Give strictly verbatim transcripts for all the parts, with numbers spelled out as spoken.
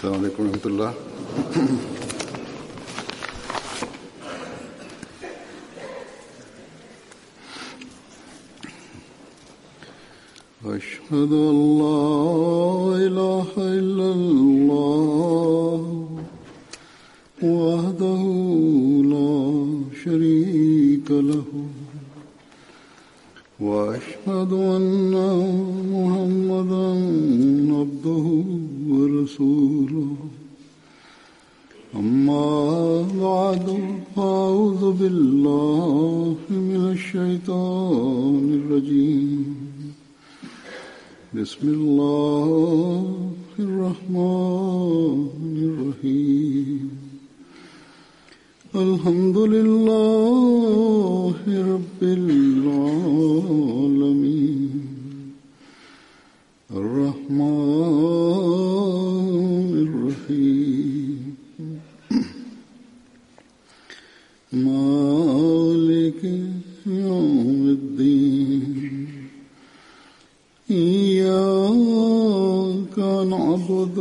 السلام عليكم ورحمة الله. أشهد أن لا إله إلا الله وحده لا شريك له وأشهد أن محمدا عبده ورسوله. أما بعد، فأعوذ بالله من الشيطان الرجيم. بسم الله الرحمن الرحيم. الحمد لله رب العالمين الرحمن الرحيم مالك يوم الدين. إياك نعبد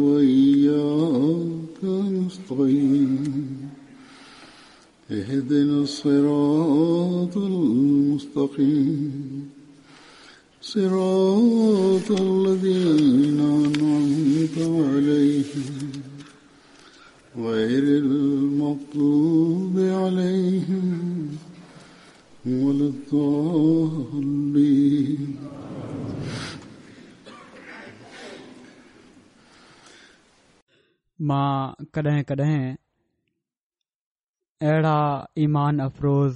وإياك نستعين. اهدنا الصراط المستقيم صراط الذين أنعمت عليهم غير المغضوب عليهم ولا الضالين. مان ڪڏهن ڪڏهن اهڙا ايمان افروز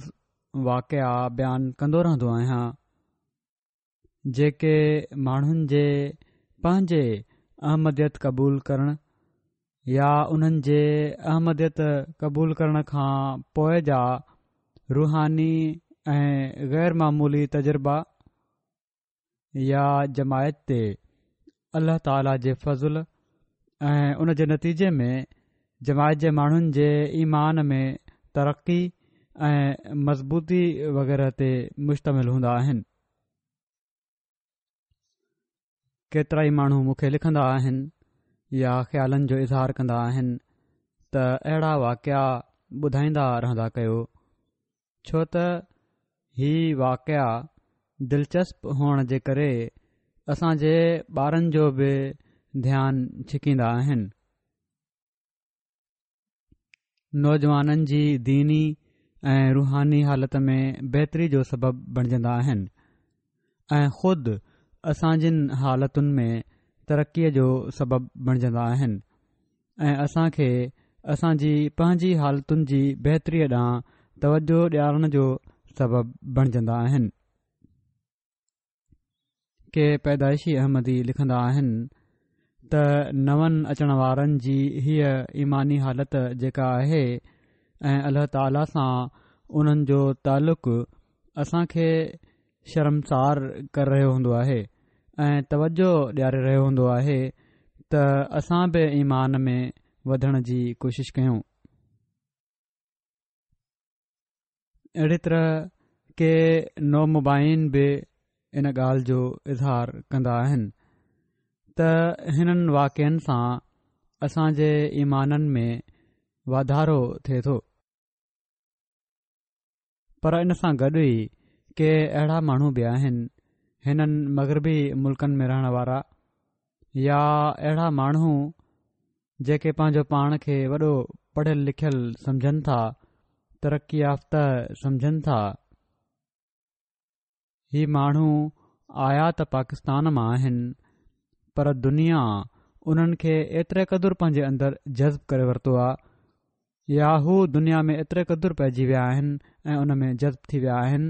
واقعا بيان ڪندو رهندو آهيان جيڪي ماڻهن جي پنهنجي احمديت قبول ڪرڻ يا انهن جي احمديت قبول ڪرڻ کان پوءِ جا روحاني ۽ غير معمولي تجربا يا جماعت تي الله تعاليٰ جي فضل ۽ ان جي نتيجي ۾ جماعت جي ماڻهن جي ايمان ۾ ترقي ۽ مضبوطي وغيره تي مشتمل هوندا آهن. ڪيترائي ماڻهو مون کي لکندا آهن يا خيالن جو اظهار ڪندا آهن ته اهڙا واقعا ٻڌائيندا رهندا ڪيو، ڇو ته هي واقعا دلچسپ هئڻ جي ڪري اسان جي ٻارن جو به ڌيان ڇڪيندا آهن. نوجوانن جي ديني ۽ روحاني حالت ۾ بهتري جو سبب بڻجندا آهن ۽ خود اسان جن حالتن ۾ ترقيءَ جو سبب بڻجندا آهن ۽ اسان کي اسان جي پنهنجي حالتن جي بهتريءَ ڏانهن توجه ڏيارڻ جو سبب بڻجندا آهن. ڪي پيدائشي احمدي لکندا آهن ته نون اچڻ وارن جي هيءَ ايماني حالت جيڪا آهي ۽ الله تعاليٰ سان انهن جو تعلق اسان کي شرمسار ڪري رهيو هوندو آهي ۽ توجه ڏياري رهيو هوندو آهي ته اسان به ايمان ۾ وڌڻ جي ڪوشش ڪيون. اهڙي طرح ڪي نومبائعين به ان ڳالهه جو اظهار ڪندا آهن ته هنن واقعن سان اسان جي ايمانن ۾ واڌارو ٿئي ٿو. پر ان سان گڏ ئي ڪي اهڙا ماڻهو به آهن هنن مغربي ملڪن ۾ رهڻ وارا يا اهڙا ماڻهو جيڪي پنهنجو پاڻ کي وڏو پڙهيل لکيل سمجهن ٿا، ترقي يافته سمجهن ٿا. هي ماڻهو آيا ته پاڪستان مان آهن، پر دنيا انهن کي ايتري قدر پنهنجي اندر جذب ڪري ورتو آهي يا هو دنيا ۾ ايتري قدر پئجي ويا آهن ۽ ان ۾ جذب ٿي ويا آهن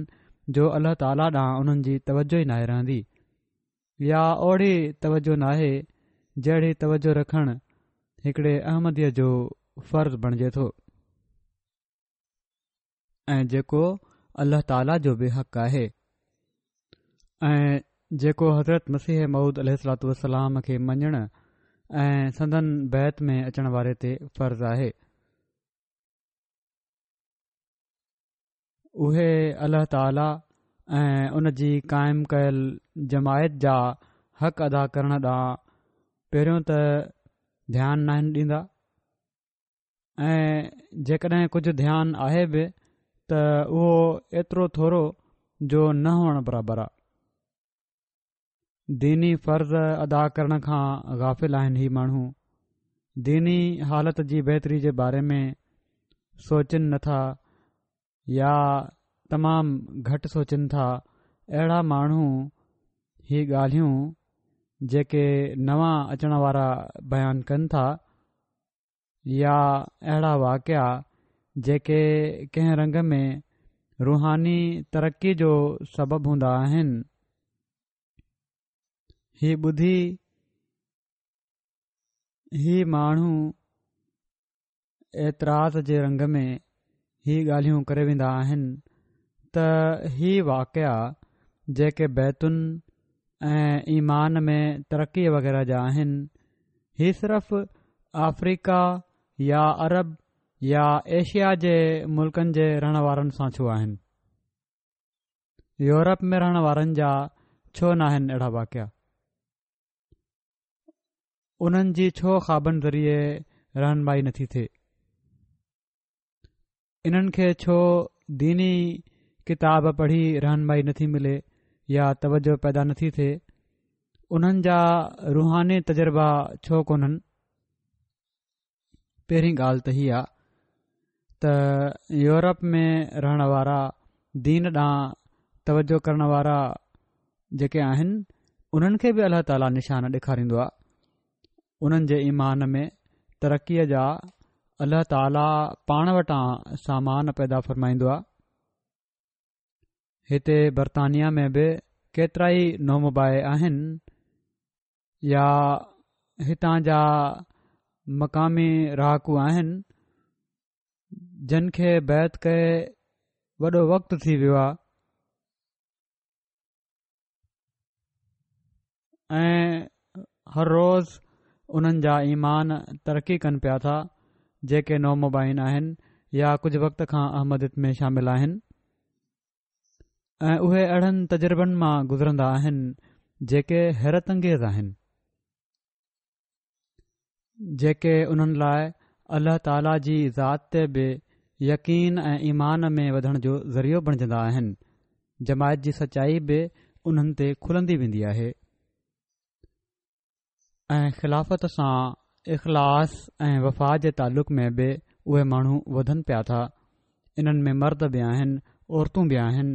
جو الله تعاليٰ ڏانهن انهن جي توجه ئي ناهي رهندي يا اوڙي توجه ناهي جهڙي توجه رکڻ هڪڙي احمديءَ جو فرض بڻجي ٿو ۽ جيڪو الله تعاليٰ جو به حق آهي ۽ جيڪو حضرت مسيح موعود عليه الصلوة والسلام کي مڃڻ ۽ سندن بيعت ۾ اچڻ واري تي فرض آهي. اهي الله تعاليٰ ۽ ان جي قائم ڪيل جماعت جا حق ادا ڪرڻ ڏانهن پهريون ته ڌيان ناهن ڏيندا ۽ جيڪڏهن ڪجهه ڌيان آهي به ته اهو ايترو ٿورو جو نه هئڻ برابر آهي. ديني فرض ادا ڪرڻ کان غافل آهن هي ماڻهو ديني حالت جي بهتري جي باري ۾ سوچن نٿا يا تمام گهٽ سوچن ٿا. اهڙا ماڻهو هي ڳالهيون جيڪي نوان اچڻ وارا بيان ڪن ٿا يا اهڙا واقعا جيڪي ڪنهن رنگ ۾ روحاني ترقي جو سبب هوندا آهن، هي ٻڌي هي ماڻهو اعتراض جي رنگ ۾ هي ڳالهيون ڪري ويندا آهن ته هي واقعا جيڪي بيعتن ۽ ايمان ۾ ترقي وغيره جا آهن، هي صرف آفريڪا يا عرب يا ايشيا جي ملڪن جي رهڻ وارن سان ڇو آهن؟ يورپ ۾ رهڻ وارن جا ڇو ناهن اهڙا واقعا؟ انهن جي ڇو خوابن ذريعي رهنمائي نٿي ٿئي؟ انهن کي ڇو ديني ڪتاب پڙهي رهنمائي نٿي ملي يا توجه پيدا نٿي ٿئي؟ انهن جا روحاني تجربا ڇو ڪونهن؟ پهرين ڳالهه ته هي آ ته يورپ ۾ رهڻ وارا دين ڏانهن توجه ڪرڻ وارا جيڪي آهن انهن کي به الله تعاليٰ نشان ڏيکاريندو آ. انهن جي ايمان ۾ ترقيء جا الله تعاليٰ پاڻ وٽان سامان پيدا فرمائيندو آ. هتي برطانيا ۾ به ڪيترائي نومبائع آهن يا هتان جا مقامي رهاڪو آهن جن کي بيعت ڪئي وڏو وقت ٿي ويو آ ۽ هر روز انهن جا ايمان ترقي ڪن پيا ٿا جيڪي نومبائعين آهن يا ڪجهه وقت کان احمديت ۾ شامل آهن ۽ اهي اهڙن تجربن مان گذرندا آهن جيڪي حيرت انگيز آهن، جيڪي انهن لاء الله تعاليٰ جي ذات تي به يقين ۽ ايمان ۾ وڌڻ جو ذريعو بڻجندا آهن. جماعت جي سچائي به انهن تي کلندي ويندي آهي ۽ خلافت سان اخلاص ۽ وفا جي تعلق ۾ به اهي ماڻهو وڌن پيا ٿا. انهن ۾ مرد به آهن، عورتون به آهن.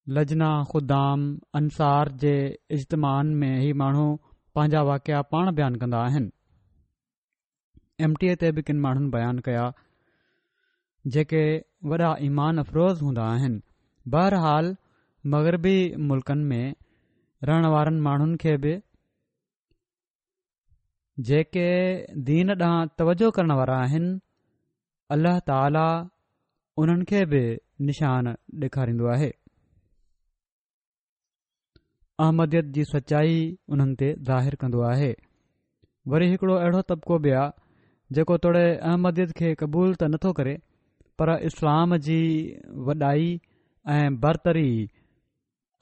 لجنا خدام انصار جي اجتماعن ۾ هي ماڻهو پنهنجا واقعا پاڻ بيان ڪندا آهن. ايم ٽي اي تي به ڪن ماڻهن بيان ڪيا جيڪي وڏا ايمان افروز هوندا آهن. بهرحال مغربي ملڪن ۾ رهڻ وارن ماڻهن کي به جيڪي دين ڏانهن توجه ڪرڻ وارا آهن، الله تعاليٰ انهن کي به نشان ڏيکاريندو آهي. احمديت جي سچائي انهن تي ظاهر ڪندو آهي. وري هڪڙو اهڙو طبقو به آ جيڪو توڙي احمديت کي قبول ته نٿو ڪري پر اسلام جي وڏائي ۽ برتري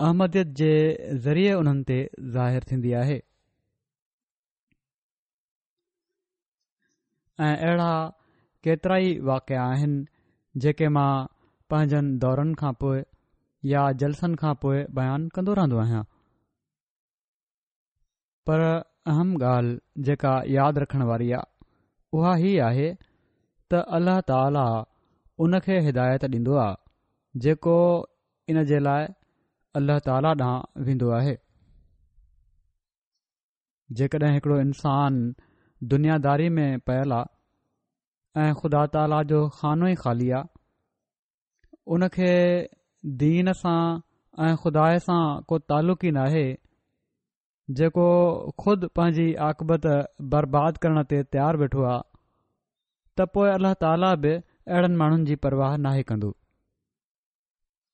احمديت جي ذريعي انهن تي ظاهر ٿيندي آهي. ۽ اهڙا ڪيترائي واقعا آهن جيڪي مان پنهنجن دورن کان پوء يا جلسن کان پوء بيان ڪندو رهندو آهيان. پر اهم ڳالهه جيڪا ياد رکڻ واري آ اها هي آهي ته الله تعاليٰ ان کي هدايت ڏيندو آ جيڪو ان جي لاء الله تعاليٰ ڏانهن ويندو آهي. جيڪڏهن هڪڙو انسان دنياداري ۾ پيل آ ۽ خدا تعاليٰ جو خانو ئي خالي آ، ان کي دين سان ۽ خدا سان ڪو تعلق ئي ناهي، جيڪو خود پنهنجي عاقبت برباد ڪرڻ تي تيار ويٺو آ، ته پوء الله تعاليٰ به اهڙن ماڻهن جي پرواهه ناهي ڪندو.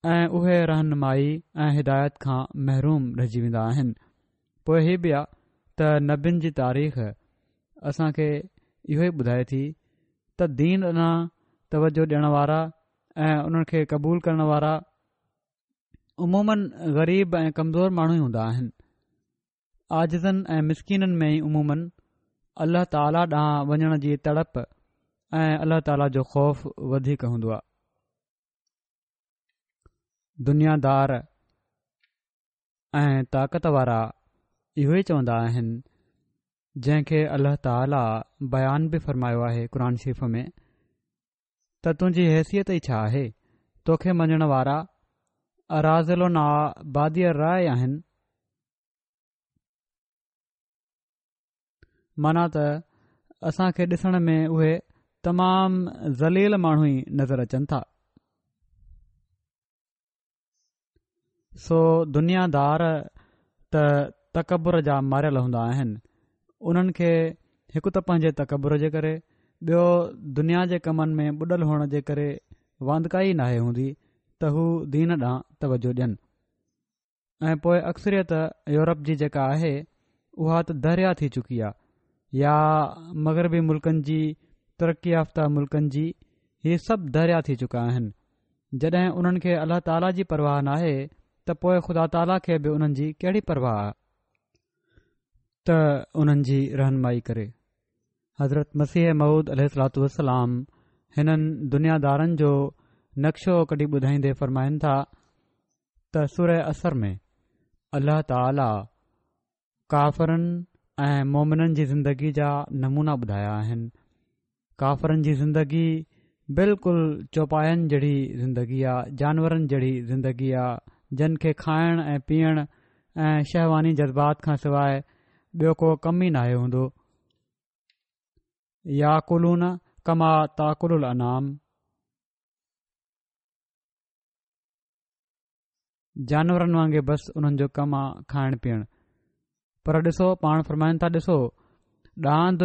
۽ اهي رهنمائي ۽ هدايت کان محروم رهجي ويندا آهن. پوء هي به آ ته نبين جي تاريخ اسان کي اهو ئي ٻڌائي ٿي ته دين ڏانهن توجه ڏيڻ وارا ۽ انهن کي قبول ڪرڻ وارا عموماً غريب ۽ ڪمزور ماڻهو ئي هوندا آهن. عاجزن ۽ مسڪينن ۾ ئي عموماً الله تعاليٰ ڏانهن وڃڻ جي تڙپ ۽ الله تعاليٰ جو خوف وڌيڪ هوندو آهي. دنيا دار ۽ طاقت وارا اهو ئي چوندا آهن جنهن کي الله تعاليٰ بيان به فرمايو آهي قرآن شريف ۾ ته تنهنجي حيثيت ئي ڇا آهي، توکي مڃڻ وارا اراذلنا بادي الرأي آهن، معنيٰ ته اسان کي ڏسڻ ۾ اهي تمام ذليل ماڻهو ئي نظر اچن ٿا. سو دنيا دار ته تڪبر جا ماريل هوندا آهن، انهن کي هڪ ته پنهنجي تڪبر جي ڪري، ٻيو دنيا جي ڪمن ۾ ٻڏل هئڻ جي ڪري واندڪائي ناهي هوندي ته هو دين ڏانهن توجه ڏين. ۽ پوء اڪثريت يورپ جي جيڪا آهي اها ته دهريا ٿي چڪي آهي يا مغربي ملڪن جي، ترقي يافته ملڪن جي، هي سڀ دهريا ٿي چڪا آهن. جڏهن انهن کي الله تعاليٰ جي پرواهه ناهي ته پوء خدا تعاليٰ کي به انهن جي ڪهڙي پرواهه آهي ته انهن جي رهنمائي ڪري. حضرت مسيح موعود عليه الصلوة والسلام هنن دنيا دارن جو نقشو ڪڍي ٻڌائيندي فرمائن ٿا ته سوره عصر ۾ الله تعاليٰ ڪافرن ۽ مومنن جي زندگي جا نمونا ٻڌايا آهن. ڪافرن جي زندگي بلڪل چوپاين جهڙي زندگي آ، جانورن جهڙي زندگي آ، جن کي کائڻ ۽ پيئڻ ۽ شهواني جذبات کان سواء ٻيو ڪو ڪم ئي ناهي هوندو. ياڪلون ڪما تاڪل الانعام، جانورن وانگي بس انهن جو ڪم آ کائڻ پيئڻ. پر ڏسو پاڻ فرمائن ٿا ڏسو ڏاند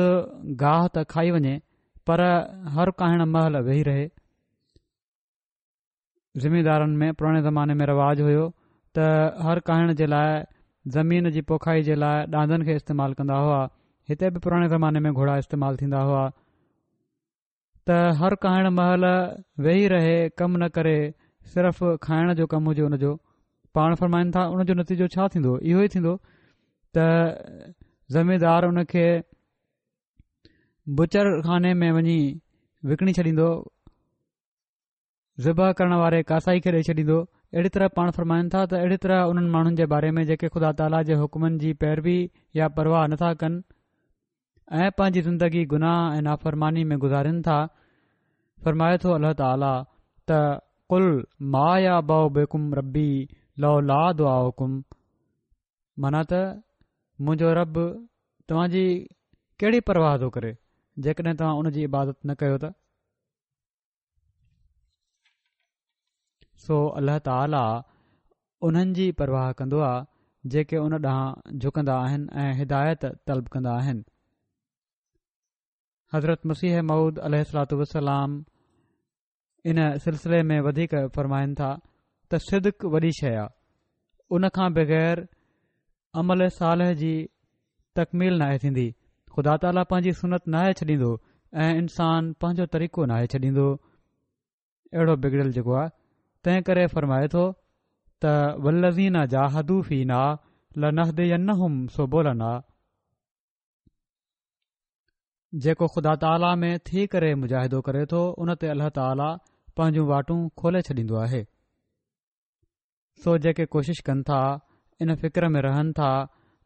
گاهه ته کائي وڃي پر هر ڪاهڻ مهل ويهي رهي. زميندارن ۾ پراڻي زماني ۾ رواج هيو ته هر ڪاهڻ جي لاء زمين جي پوکائي جي لاء ڏاندن کي استعمال ڪندا هئا. هتي به پراڻي زماني ۾ گهوڙا استعمال ٿيندا هئا ته هر ڪاهڻ مهل ويهي رهي ڪم نه ڪري صرف کائڻ جو ڪم هجي ان جو. پاڻ فرمائن ٿا ان جو نتيجو ڇا ٿيندو؟ اهو ئي ٿيندو ته زميندار ان کي بچر خاني ۾ وڃي وڪڻي ڇڏيندو، ذبح ڪرڻ واري ڪاسائي کي ڏئي ڇڏيندو. اهڙي طرح پاڻ فرمائن ٿا ته اهڙي طرح انهن ماڻهن جي باري ۾ جيڪي خدا تعاليٰ جي حڪمن جي پيروي يا پرواهه نٿا ڪن ۽ پنهنجي زندگي گناهه ۽ نافرماني ۾ گذارين ٿا، فرمائي ٿو الله تعاليٰ ته قل ما يعبأ بڪم ربي لولا دعاؤڪم، معنيٰ ته منهنجو رب توهان جي ڪهڙي پرواهه ٿو ڪري جيڪڏهن توهان ان جي عبادت نه ڪيو ته. سو الله تعاليٰ انهن جي پرواهه ڪندو آهي جيڪي ان ڏانهن جهڪندا آهن ۽ هدايت طلب ڪندا آهن. حضرت مسيح موعود عليه الصلوة والسلام ان سلسلي ۾ وڌيڪ فرمائن ٿا ته صدق وڏي شيء آهي، ان کان بغير عمل صالح جي تڪميل ناهي ٿيندي. خدا تعاليٰ پنهنجي سنت ناهي ڇڏيندو ۽ انسان پنهنجو طريقو ناهي ڇڏيندو، اهڙو بگڙيل جيڪو آهي. تنهن ڪري فرمائي ٿو ته والذين جاهدوا فينا لنهدينهم سبلنا، جيڪو خدا تعاليٰ ۾ ٿي ڪري مجاهدو ڪري ٿو ان تي الله تعاليٰ پنهنجون واٽون کولي ڇڏيندو آهي. سو جيڪي ڪوشش ڪن ٿا ان فڪر ۾ رهن ٿا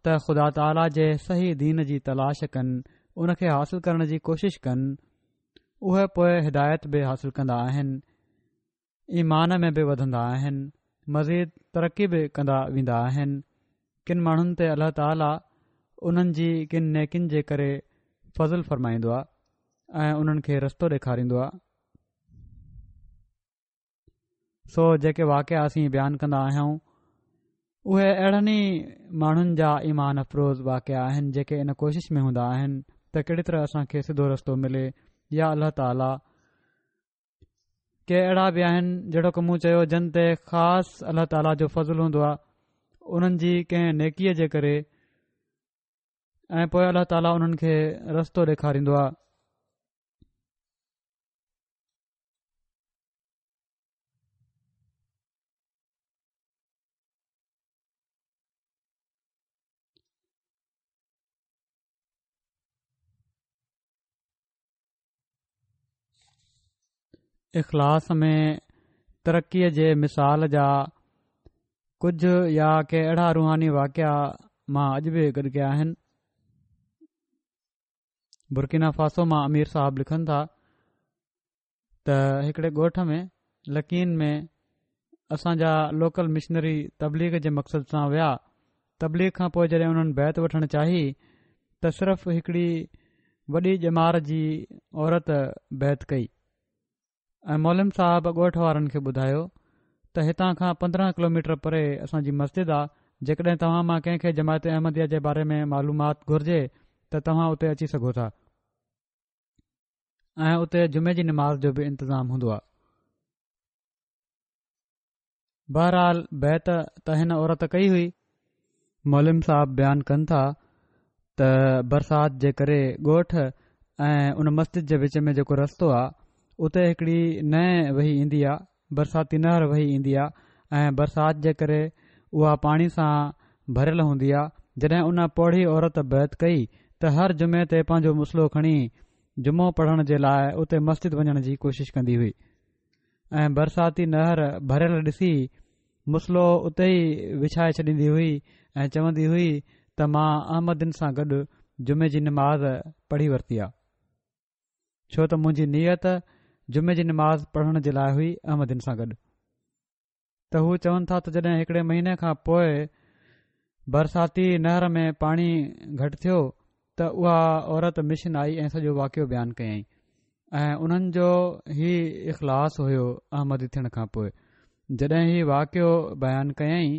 ته خدا تعاليٰ جي صحيح دين جي تلاش ڪن، ان کي حاصل ڪرڻ جي ڪوشش ڪن، اهي پوء هدايت به حاصل ڪندا آهن، ايمان ۾ به وڌندا آهن، مزيد ترقي به ڪندا ويندا آهن. ڪن ماڻهن تي الله تعاليٰ انهن جي ڪن نيڪين جي ڪري فضل فرمائيندو آهي ۽ انهن کي رستو ڏيکاريندو آهي. سو جيڪي واقعا اسين بيان ڪندا آهيون اهي اهڙن ئي ماڻهن جا ايمان افروز واقعا آهن جيڪي ان ڪوشش ۾ هوندا آهن ته ڪهڙي طرح اسان کي سڌو رستو ملي يا الله تعاليٰ. ڪي اهڙا به آهن جهڙوڪ مون چيو جن تي خاص الله تعاليٰ جو فضل هوندو آهي انهن جي ڪنهن نيڪيء جي ڪري ۽ پوء الله تعاليٰ انهن کي رستو ڏيکاريندو آهي. اخلاص ۾ ترقيء جي مثال جا ڪجهه يا ڪي اهڙا روحاني واقعا مان اڄ به گڏ ڪيا آهن. برڪينا فاسو مان امير صاحب لکن ٿا ته هڪڙي ڳوٺ ۾ لڪين ۾ اسان جا لوڪل مشنري تبليغ جي مقصد سان ويا. تبليغ کان پوء جڏهن انهن بيعت وٺڻ چاهي ته صرف هڪڙي وڏي ڄمار جي عورت بيعت ڪئي ۽ معلم صاحب ڳوٺ وارن کي ٻڌايو ته هتان کان پندرهن ڪلوميٽر پري اسان جي مسجد آ، جيڪڏهن توهان مان ڪنهن کي جماعت احمديه جي باري ۾ معلومات گهرجي ته توهان اتي اچي سگهو ٿا ۽ اتي جمعي جي نماز جو به انتظام هوندو آ. بهرحال بيعت ته هن عورت ڪئي هئي. معلم صاحب بيان ڪن ٿا ته برسات جي ڪري ڳوٺ ۽ ان مسجد جي وچ ۾ جيڪو رستو آ اتي هڪڙي نئين وهي ايندي آ، برساتي نهر وهي ايندي آ ۽ برسات جي ڪري اها پاڻي سان ڀريل هوندي آ. جڏهن ان پوڙهي عورت بيعت ڪئي ته هر جمعي تي پنهنجو مصلو کڻي جمعو پڙهڻ جي لاء اتي مسجد وڃڻ جي ڪوشش ڪندي هئي ۽ برساتي نهر ڀريل ڏسي مصلو اتي ئي وڇائي ڇڏيندي هئي ۽ چوندي هئي ته مان احمدين سان گڏ جمعي جي نماز پڙهي ورتي آ، ڇو ته منهنجي نيت جمعي جي نماز پڙهڻ جي لاء هئي احمدين سان گڏ. ته هو چون ٿا ته جڏهن هڪڙي مهيني کان پوء برساتي نهر ۾ پاڻي گهٽ ٿيو ته اها عورت مشن آئي ۽ سڄو واقعو بيان ڪيائين ۽ انهن جو هي اخلاص هيو احمدي ٿيڻ کان پوء جڏهن هي واقعو بيان ڪيائين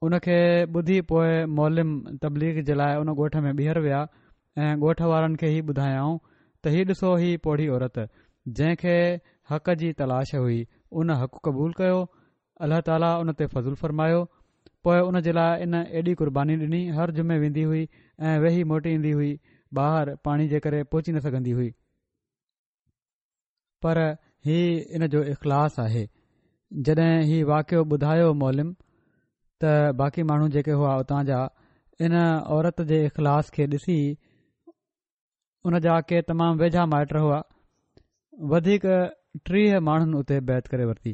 ان کي ٻڌي پوء معلم تبليغ جي لاء ان ڳوٺ ۾ ٻيهر ويا ۽ ڳوٺ وارن کي هي ٻڌايائون ته هي ڏسو هي پوڙهي عورت جنهن کي حق جي تلاش هئي ان حق قبول ڪيو، الله تعاليٰ ان تي فضل فرمايو، پوء ان جي لاء ان ايڏي قرباني ڏني، هر جمعي ويندي هئي ۽ ويهي موٽي ايندي هئي، ٻاهر پاڻي جي ڪري پهچي نه سگهندي هئي. پر هي ان جو اخلاص آهي. جڏهن هي واقعو ٻڌايو معلم ته باقي ماڻهو جيڪي هئا اتان جا ان عورت جي اخلاص کي ڏسي ان جا ڪي تمام ويجها مائٽ هئا، وڌيڪ ٽيهه ماڻهن اتي بيعت ڪري ورتي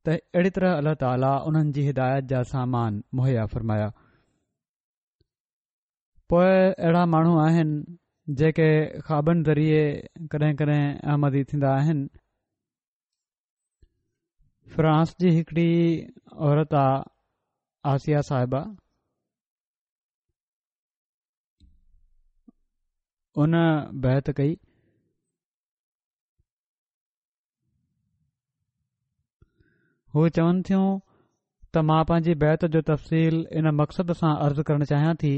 ته اهڙي طرح الله تعاليٰ انهن جي هدايت جا سامان مهيا فرمايا. پوء اهڙا ماڻهو آهن جيڪي خوابن ذريعي ڪڏهن ڪڏهن احمدي ٿيندا آهن. فرانس جي هڪڙي عورت آ آسيا صاحبه، ان بيعت ڪئي. هو چون ٿيون ته مان پنهنجي بيعت جو تفصيل ان مقصد سان عرض ڪرڻ چاهيان ٿي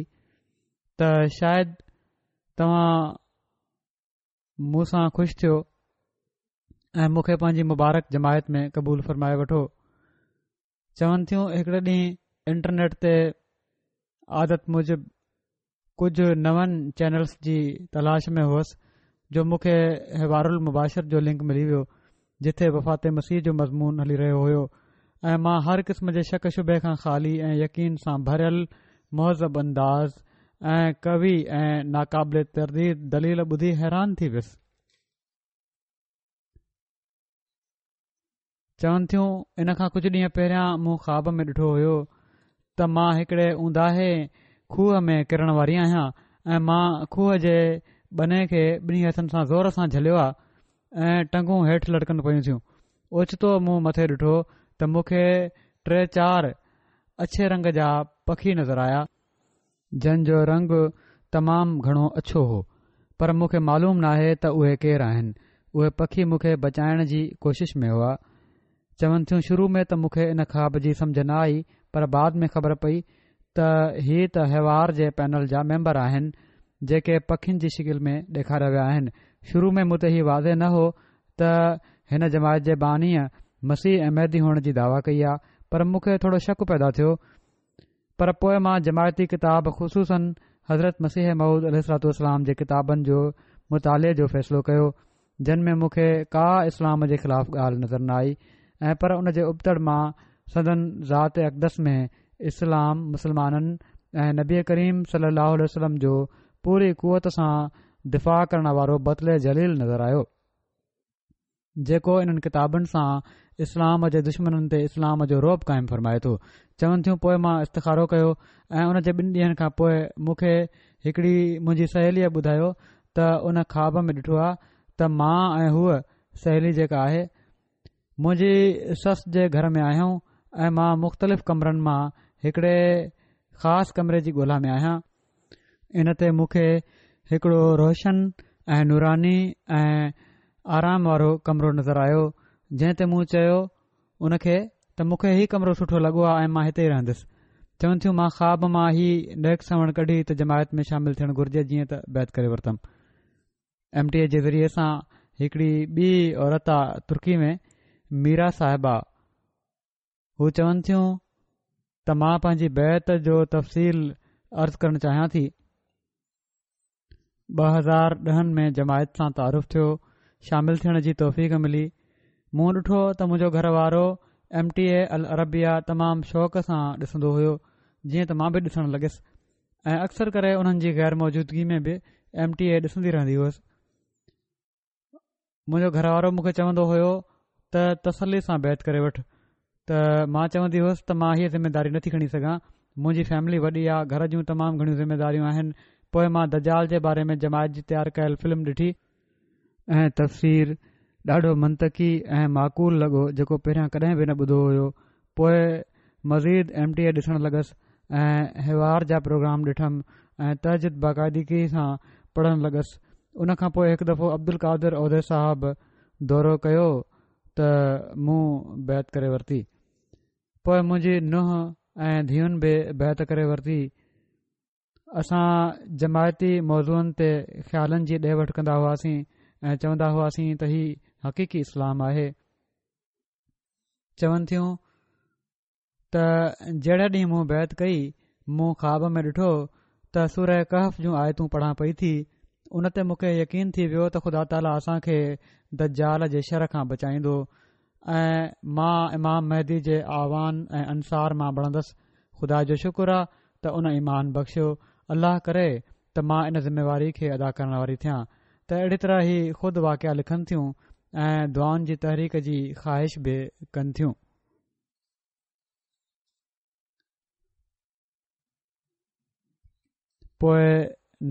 ته شايد توهان مون سان خوش ٿيو ۽ مون کي پنهنجي مبارڪ جماعت ۾ قبول فرمائي وٺو. چون ٿيون هڪڙي ڏينهن انٽرنيٽ تي عادت موجب ڪجهه نون چينلز جي تلاش ۾ هئس جو مون کي حوار المباشر جو لنڪ ملي ويو جتي وفات مسيح جو مضمون هلي رهيو هيو ۽ مان هر قسم جي شڪ شبهي کان خالي ۽ يقين سان ڀريل مهذب انداز ۽ قوي ۽ ناقابل ترديد دليل ٻڌي حيران ٿي ويس. چون ٿيون ان کان ڪجهه ڏينهن پهريان مون خواب ۾ ڏٺو هيو ته مان هڪڙي اونداهي کوهه ۾ ڪرڻ واري آهيان ۽ مان کوهه جي ٻني کي ٻنهي هٿن سان زور سان جهليو آ ۽ ٽنگون هيٺ لڙڪن پيون ٿيون. اوچتو مون مٿي ڏٺو ته مون کي ٽي چار اڇي رنگ جا پکي نظر آيا، جن جو رنگ تمام گهڻو اڇو هو، پر مون کي معلوم ناهي ته اهي ڪير آهن. اهي پکي مون کي بچائڻ جي ڪوشش ۾ هئا. چون ٿيون شروع ۾ ته مون کي ان خواب جي سمجهه نه آئي، پر بعد ۾ خبر پئي ته هي ته حوار جي پينل جا ميمبر آهن، جيڪي پکين جي شڪل ۾ ڏيکاريا ويا آهن. شروع ۾ مون تي هي واضح نه هو ته هن جماعت جي بانيء مسيح ۽ مهدي هئڻ جي دعويٰ ڪئي آ، پر مون کي ٿورو شڪ پيدا ٿيو پر پوء مان جماعتي ڪتاب خصوصاً حضرت مسيح موعود عليه الصلوة والسلام جي ڪتابن جو مطالعي جو فيصلو ڪيو جن ۾ مون کي ڪا اسلام جي خلاف ڳالهه نظر نه آئي ۽ پر ان جي ابتڙ مان سندن ذات اقدس ۾ اسلام، مسلمانن ۽ نبي ڪريم صلي الله عليه وسلم جو پوري قوت سان دفاع ڪرڻ وارو بطل جليل نظر آيو. جيڪو انهن ڪتابن سان اسلام جي دشمنن تي اسلام جو رعب قائم فرمائي ٿو. چون ٿيون پوء مان استخارو ڪيو ۽ ان جي ٻن ڏينهن کان پوء مون کي هڪڙي منهنجي سهيليء ٻڌايو ته ان خواب ۾ ڏٺو آهي ته مان ۽ هوء سهيلي جيڪا آهي منهنجي سس جي گهر ۾ آهيون ۽ مان مختلف ڪمرن مان هڪڙي خاص ڪمري جي ڳولا ۾ آهيان. ان تي مون کي هڪڙو روشن ۽ نوراني ۽ آرام وارو ڪمرو نظر آيو، جنهن تي مون چيو ان کي ته مون کي هي ڪمرو سٺو لڳو آهي ۽ مان هتي ئي رهندس. چون ٿيون مان خواب مان هي نيڪ سوڻ ڪڍي ته جماعت ۾ شامل ٿيڻ گهرجي، جيئن ته بيعت ڪري ورتم. ايم ٽي اي جي ذريعي سان هڪڙي ٻي عورت آ ترڪي ۾ ميرا صاحبه، هو چون ٿيون ته مان پنهنجي بيعت جو تفصيل عرض ڪرڻ چاهيان ٿي. ٻه هزار ڏهن ۾ جماعت سان تعارف ٿيو، شامل ٿيڻ جي توفيق ملي. مون ڏٺو ته منهنجو گهر وارو ايم ٽي اي العربيه تمام شوق سان ڏسندو هيو، جيئن ته مان به ڏسڻ لڳس ۽ اڪثر ڪري انهن جي غير موجودگي ۾ به ايم ٽي اي ڏسندي رهندي هئس. منهنجو گهر وارو مون کي چوندو هيو ته تسلي سان بيعت ڪري وٺ ته مان چوندي هئس ته مان هيء ذميداري نٿي کڻي سگهان، منهنجي فيملي وڏي آ، گهر جون تمام گهڻيون ذميداريون آهن. پوء مان دجال جي باري ۾ جماعت جي تيار ڪيل فلم ڏٺي ۽ تفسير ڏاڍو منطقي ۽ معقول لڳو جيڪو پهريان ڪڏهن به نه ٻڌو هيو. پوء مزيد ايم ٽي اي ڏسڻ لڳس ۽ حوار جا پروگرام ڏٺم ۽ تهجد باقاعدگي سان پڙهڻ لڳس. ان کان پوء هڪ دفعو عبدالقادر عوده صاحب دورو ڪيو ته مون بيعت ڪري ورتي. پوء منهنجي ننهن ۽ ڌيئن به بيعت ڪري ورتي. اسان جماعتي موضوعن تي خيالن جي ڏي وٺ ڪندا هئاسين ۽ چوندا هئاسين ته هي حقيقي اسلام آهي. چون ٿيون ته جهڙي ڏينهن مون بيعت ڪئي، مون خواب ۾ ڏٺو ته سوره ڪهف جون آيتون پڙهان پئي ٿي. ان تي مون کي يقين ٿي ويو ته خدا تعاليٰ اسان کي دجال جي شر کان بچائيندو ۽ مان امام مهدي جي اعوان ۽ انصار مان بڻندس. خدا جو شڪر آ ته ان ايمان بخشيو. الله ڪري ته مان ان ذميواري کي ادا ڪرڻ واري ٿيان. ته اهڙي طرح هي خود واقعا لکن ٿيون ۽ دعائن جي تحريڪ جي خواهش به ڪن ٿيون. پوء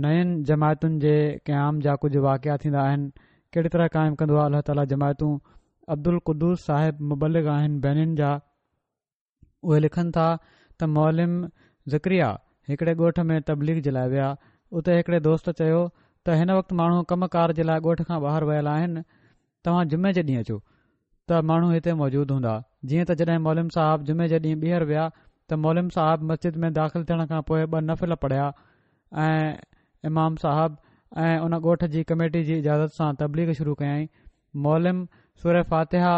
نين جماعتن جي قيام جا ڪجهه واقعا ٿيندا آهن. ڪهڙي طرح قائم ڪندو آهي الله تعاليٰ جماعتون. عبدالقدوس صاحب مبلغ آهن بينين جا. اهي لکن ٿا ته معلم ذڪريا هڪڙي ڳوٺ ۾ تبليغ جي لاء ويا. اتي هڪڙي دوست چيو ته هن وقت ماڻهو ڪم ڪار جي لاء ڳوٺ کان ٻاهر ويل آهن، توهان جمعي جي ڏينهن اچو ته ماڻهو هتي موجود هوندا. جيئن ته جڏهن معلم صاحب جمعي جي ڏينهن ٻيهر ويا ته معلم صاحب مسجد ۾ داخل ٿيڻ کان پوء ٻه نفل پڙهيا ۽ امام صاحب ۽ ان ڳوٺ جي ڪميٽي جي اجازت سان تبليغ شروع ڪيائين. معلم سوره فاتحه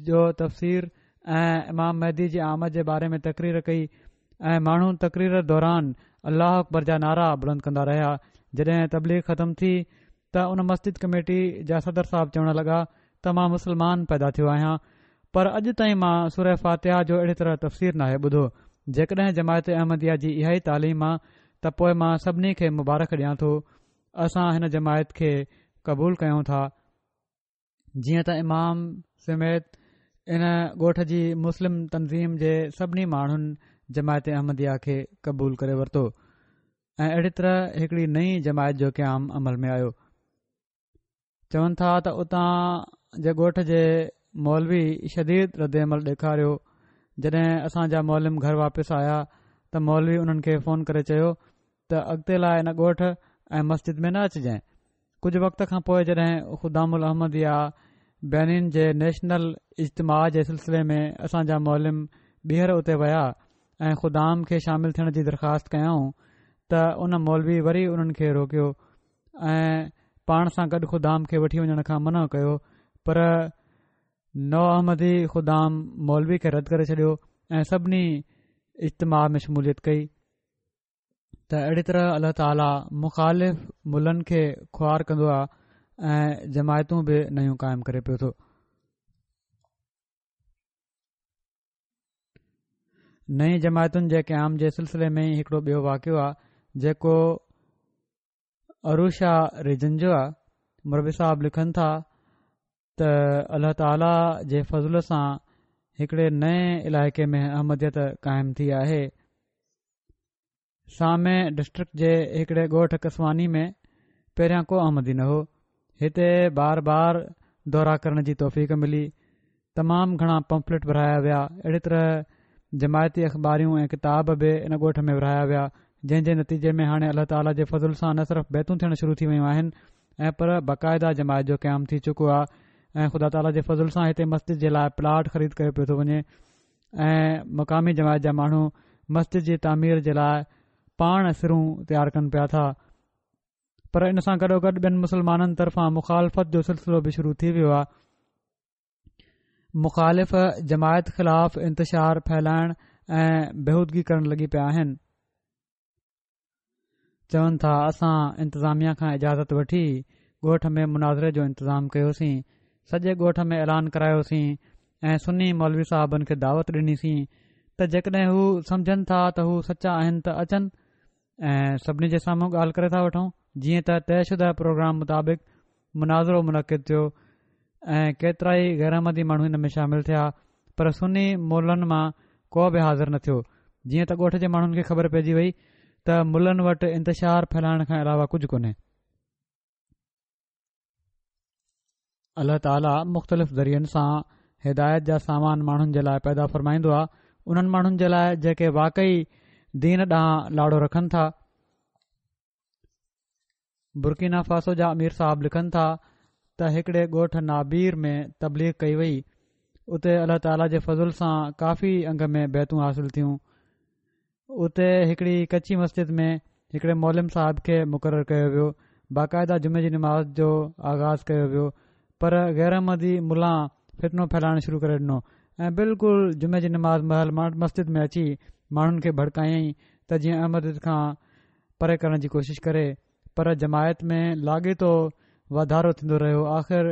جو تفسير ۽ امام مهدي جي آمد جي باري ۾ تقرير ڪئي ۽ ماڻهو تقرير دوران الله اڪبر جا نعرا بلند ڪندا رهيا. جڏهن تبليغ ختم ٿي ته ان مسجد ڪميٽي جا صدر صاحب چوڻ لڳا ته مان مسلمان پيدا ٿيو آهيان پر اڄ تائين مان سوره فاتحه جو اهڙي طرح تفسير ناهي ٻڌو. جيڪڏهن جماعت احمديه جي اها ئي تعليم آ ته پوء مان سڀني کي مبارڪ ڏيان ٿو. اسان هن جماعت کي قبول ڪيون ٿا. جيئن ته امام سميت ان ڳوٺ جي مسلم تنظيم جي سڀني ماڻهن جماعت احمديه کي قبول ڪري ورتو ۽ اهڙي طرح هڪڙي نئين جماعت جو قيام عمل ۾ آيو. چون ٿا ته اتان جي ڳوٺ جي مولوي شديد رد عمل ڏيکاريو. جڏهن اسان جا معلم گهر واپس آيا ته مولوي انهن کي فون ڪري چيو ته اڳتي لاء ان ڳوٺ ۽ مسجد ۾ نه اچجانء. ڪجهه وقت کان پوء جڏهن خدام الاحمديه بينين جي نيشنل اجتماع جي سلسلي ۾ اسان جا معلم ٻيهر اتي ويا ۽ خدام کي شامل ٿيڻ جي درخواست ڪيائون ته ان مولوي وري انهن کي روڪيو ۽ پاڻ سان گڏ خدام کي وٺي وڃڻ کان منع ڪيو، پر نو احمدي خدام مولوي کي رد ڪري ڇڏيو ۽ سڀني اجتماع ۾ شموليت ڪئي. ته اهڙي طرح الله تعاليٰ مخالف ملن کي خوار ڪندو آهي ۽ جماعتون به نيون قائم ڪري پيو ٿو. نئين جماعتن جي قيام جي سلسلي ۾ ئي هڪڙو ٻيو واقعو آهي جيڪو اروشا ريجن جو آهي. مربي صاحب لکن ٿا ته الله تعاليٰ جي فضل سان هڪڙي نئين علائقي ۾ احمديت قائم ٿي آهي. سامي ڊسٽرڪٽ جي هڪڙي ڳوٺ ڪسواني ۾ پهريان ڪو احمدي نه هو. هتي بار بار دورا ڪرڻ جي توفيق ملي. تمام گهڻا پمفلٽ ورهايا ويا. اهڙي طرح جماعتي اخباريون ۽ ڪتاب به ان ڳوٺ ۾ ورهايا ويا، جنهن جي نتيجي ۾ هاڻي الله تعاليٰ جي فضل سان نه صرف بيعتون ٿيڻ شروع ٿي ويون آهن ۽ پر باقاعده جماعت جو قيام ٿي چڪو آهي ۽ خدا تعاليٰ جي فضل سان هتي مسجد جي لاء پلاٽ خريد ڪيو پيو ٿو وڃي ۽ مقامي جماعت جا ماڻهو مسجد جي تعمير جي لاء پاڻ سرون تيار ڪن پيا ٿا. پر ان سان گڏوگڏ ٻين مسلمانن طرفان مخالفت جو سلسلو به شروع ٿي ويو آهي. مخالف جماعت خلاف انتشار ڦهلائڻ ۽ بيهودگي ڪرڻ لڳي پيا آهن. چون ٿا اسان انتظاميا کان اجازت وٺي ڳوٺ ۾ مناظري جو انتظام ڪيوسين، سڄي ڳوٺ ۾ اعلان ڪرايوسين ۽ سني مولوي صاحبن کي دعوت ڏنيسين ته جيڪڏهن هو سمجهن ٿا ته هو سچا آهن ته اچن ۽ سڀني جي سامهون ڳالهه ڪري ٿا وٺون. جيئن ته طئي شده پروگرام مطابق مناظرو منعقد ٿيو ۽ ڪيترائي غير احمدي ماڻهو ان ۾ شامل ٿيا، پر سني ملن مان ڪو به حاضر نه ٿيو. جيئن ته ڳوٺ جي ماڻهن کي خبر پئجي وئي ته ملن وٽ انتشار ڦهلائڻ کان علاوه ڪجهه ڪونهي. الله تعاليٰ مختلف ذريعن سان هدايت جا سامان ماڻهن جي لاء پيدا فرمائيندو آهي، انهن ماڻهن جي لاء جيڪي واقعي دين ڏانهن لاڙو رکن ٿا. برڪينا فاسو جا امير صاحب لکن ٿا ته هڪڙي ڳوٺ نابير ۾ تبليغ ڪئي وئي، اتي الله تعاليٰ جي فضل سان ڪافي انگ ۾ بيعتون حاصل ٿيون. اتي هڪڙي ڪچي مسجد ۾ هڪڙي معلم صاحب کي مقرر ڪيو ويو. باقاعده جمعي جي نماز جو آغاز ڪيو ويو، پر غير احمدي ملان فتنو ڦهلائڻ شروع ڪري ڏنو ۽ بلڪل جمعي جي نماز مهل مسجد ۾ اچي ماڻهن کي ڀڙڪايائين ته جيئن احمديت کان پري ڪرڻ جي ڪوشش ڪري، پر جماعت ۾ لاڳيتو واڌارو ٿيندو رهيو. آخر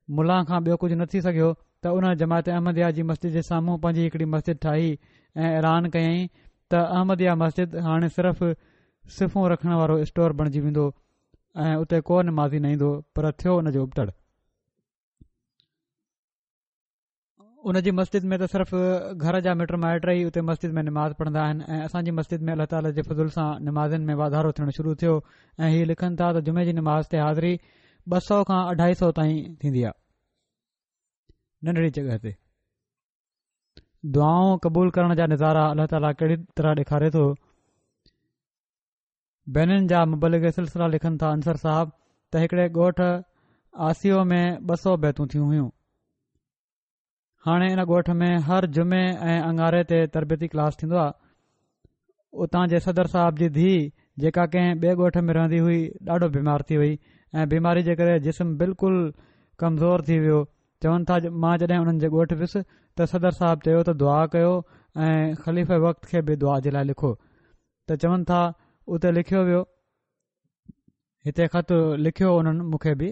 ملان کان ٻيو ڪجهه نه ٿي سگهيو ته ان جماعت احمديه جي مسجد جي سامهون پنهنجي هڪڙي مسجد ٺاهي ۽ اعلان ڪيائين ته احمديه مسجد هاڻي صرف صفون رکڻ وارو اسٽور بڻجي ويندو ۽ اتي ڪو نمازي نه ايندو، پر ٿيو ان جو ابتڙ. ان جي مسجد ۾ ته صرف گهر جا مٽ مائٽ ئي اتي مسجد ۾ نماز پڙهندا آهن ۽ اسان جي مسجد ۾ الله تعاليٰ جي فضل سان نمازين ۾ واڌارو ٿيڻ شروع ٿيو ۽ هي لکن ٿا ته جمعي جي نماز تي حاضري ٻه سؤ کان اڍائي سؤ تائين ٿيندي آهي. ننڍڙي جڳهه تي دعائون قبول ڪرڻ جا نظارا الله تعاليٰ ڪهڙي طرح ڏيکاري ٿو. بينن جا مبلغ سلسله لکن ٿا انصر صاحب ته هڪڙي ڳوٺ آسيو ۾ ٻه سؤ بيعتون ٿيون هيون. هاڻي ان ڳوٺ ۾ هر جمعي ۽ اڱاري تي تربيتي ڪلاس ٿيندو آهي. اتان جي صدر صاحب جي ڌيء جيڪا ڪنهن ٻئي ڳوٺ ۾ رهندي هئي ڏاڍو بيمار ٿي وئي ۽ بيماري جي ڪري جسم بلڪل ڪمزور ٿي ويو. چون ٿا مان جڏهن انهن جي ڳوٺ ويس ته صدر صاحب چيو ته دعا ڪيو ۽ خليفه وقت کي به دعا جي لاء لکو ته چون ٿا اتي لکيو ويو. هتي خط لکيو انهن مون کي به.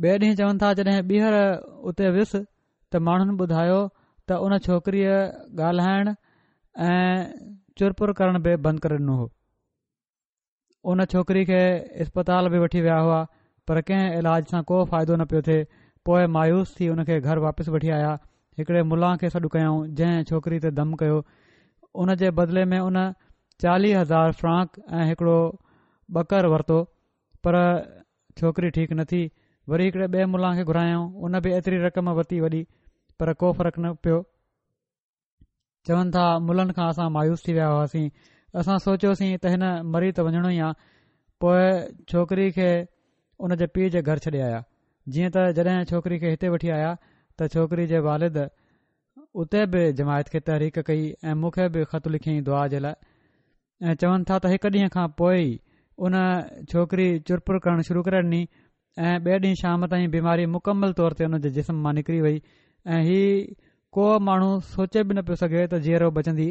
ٻئي ڏينهن چون ٿا جڏهن ٻيهر اتي ويس ته ماڻهن ٻڌايو ته ان ڇوڪريء ڳالهائڻ ۽ چرپر ڪرڻ به بند ڪري ڏنو هو. ان ڇوڪري کي اسپتال به وٺي ويا هئا، پر ڪنهن علاج سان ڪو فائدو نه پيو ٿئي. پوءِ مايوس ٿي ان کي گهر واپس وٺي آيا. هڪڙي ملان کي سڏ ڪيائون جنهن ڇوڪري تي دم ڪيو. ان جي بدلي ۾ ان چاليهه هزار فرانڪ ۽ هڪڙو ٻڪر ورتو، پر ڇوڪري ٺيڪ نه ٿي. وري هڪڙي ٻئي ملان کي گهرايائون، ان به ايتري رقم ورتي وڏي، پر ڪو فرق نه پيو. چون ٿا ملن کان اسان مايوس ٿي ويا هئاسين، اسان سوچيوسين ته هن مري ته وڃڻو ئي آ. پوءِ ڇوڪري کي ان جي پيءُ جي گهر ڇڏي آيا. جيئن ته جڏهن ڇوڪري کي هتي وٺي آيا ته ڇوڪري جي والد اتي به جماعت کي تحريڪ ڪئي ۽ مون کي به خط لکيائين دعا جي لاءِ. ۽ چون ٿا ته هڪ ڏينهن کان پوءِ ئي ان ڇوڪري چرپر ڪرڻ شروع ڪري ڏني ۽ ٻئي ڏينهن شام تائين بيماري مڪمل طور تي ان جي جسم مان نڪري وئي ۽ هي ڪو ماڻهو سوچي به نه پيو سگهي ته جيئرو بچندي،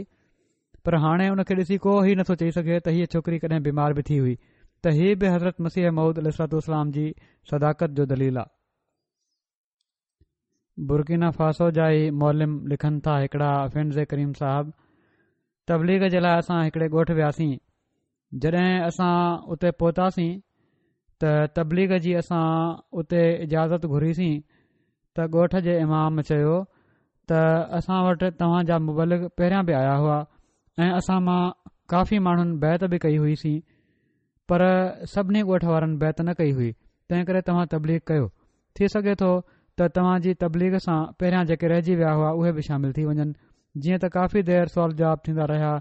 پر هاڻي ان کي ڏسي ڪو هي نٿو چئي سگهي ته هيءَ ڇوڪري ڪڏهن بيمار به ٿي هئي. ته هي به حضرت مسيح موعود عليه الصلوة والسلام جي صداقت جو دليل آهي. برڪينا فاسو جا ئي معلم لکن ٿا هڪڙا فينزي ڪريم صاحب تبليغ جي لاءِ اسان هڪڙي ڳوٺ وياسين. جڏهن اسان اتي پهتاسين ته تبليغ جي اسان اتي اجازت گهريسين ته ڳوٺ جي امام چيو ته اسان وٽ توهان جا مبلغ پهريان به آيا هئا ۽ اسان مان ڪافي ماڻهن بيعت به ڪئي هئي سين، پر سڀني ڳوٺ وارن بيعت نه ڪئي هئي، تنهن ڪري توهان تبليغ ڪيو. ٿي سگهي ٿو ته توهان جي تبليغ سان پهريان جيڪي رهجي ويا هئا اهي به شامل ٿي وڃن. جيئن ته ڪافي دير سوال جواب ٿيندا رهيا.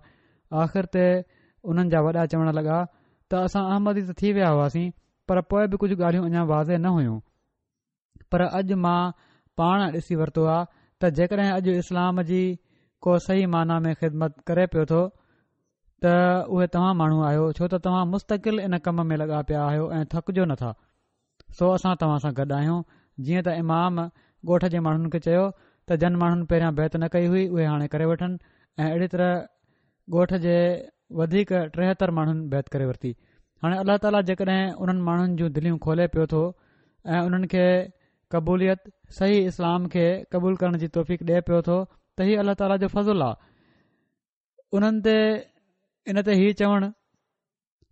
آخر تي انهن جا وڏا چوڻ لڳا ته اسان احمدي ته ٿي ويا هئاسين، پر پوء به ڪجهه ڳالهيون اڃا واضح نه هيون، پر اڄ مان پاڻ ڏسي ورتو آ ته جيڪڏهن اڄ اسلام جي ڪو صحيح معنيٰ ۾ خدمت ڪري پيو ٿو ته اهي توهان ماڻهو آهيو، ڇو ته توهان مستقل ان ڪم ۾ لڳا پيا آهيو ۽ ٿڪجو نٿا، سو اسان توهان سان گڏ آهيون. جيئن ته امام ڳوٺ جي ماڻهن کي چيو ته جن ماڻهن پهريان بيعت نه ڪئي هئي اهي هاڻي ڪري وٺن، ۽ اهڙي طرح ڳوٺ جي وڌيڪ ٽيهتر ماڻهن بيعت ڪري ورتي. هاڻي الله تعاليٰ جيڪڏهن انهن ماڻهن جون دليون کولي پيو ٿو ۽ انهن کي قبوليت صحيح اسلام کي قبول ڪرڻ جي توفيق ڏئي پيو ٿو ته هي الله تعاليٰ جو فضل آ انهن تي. ان تي هي چوڻ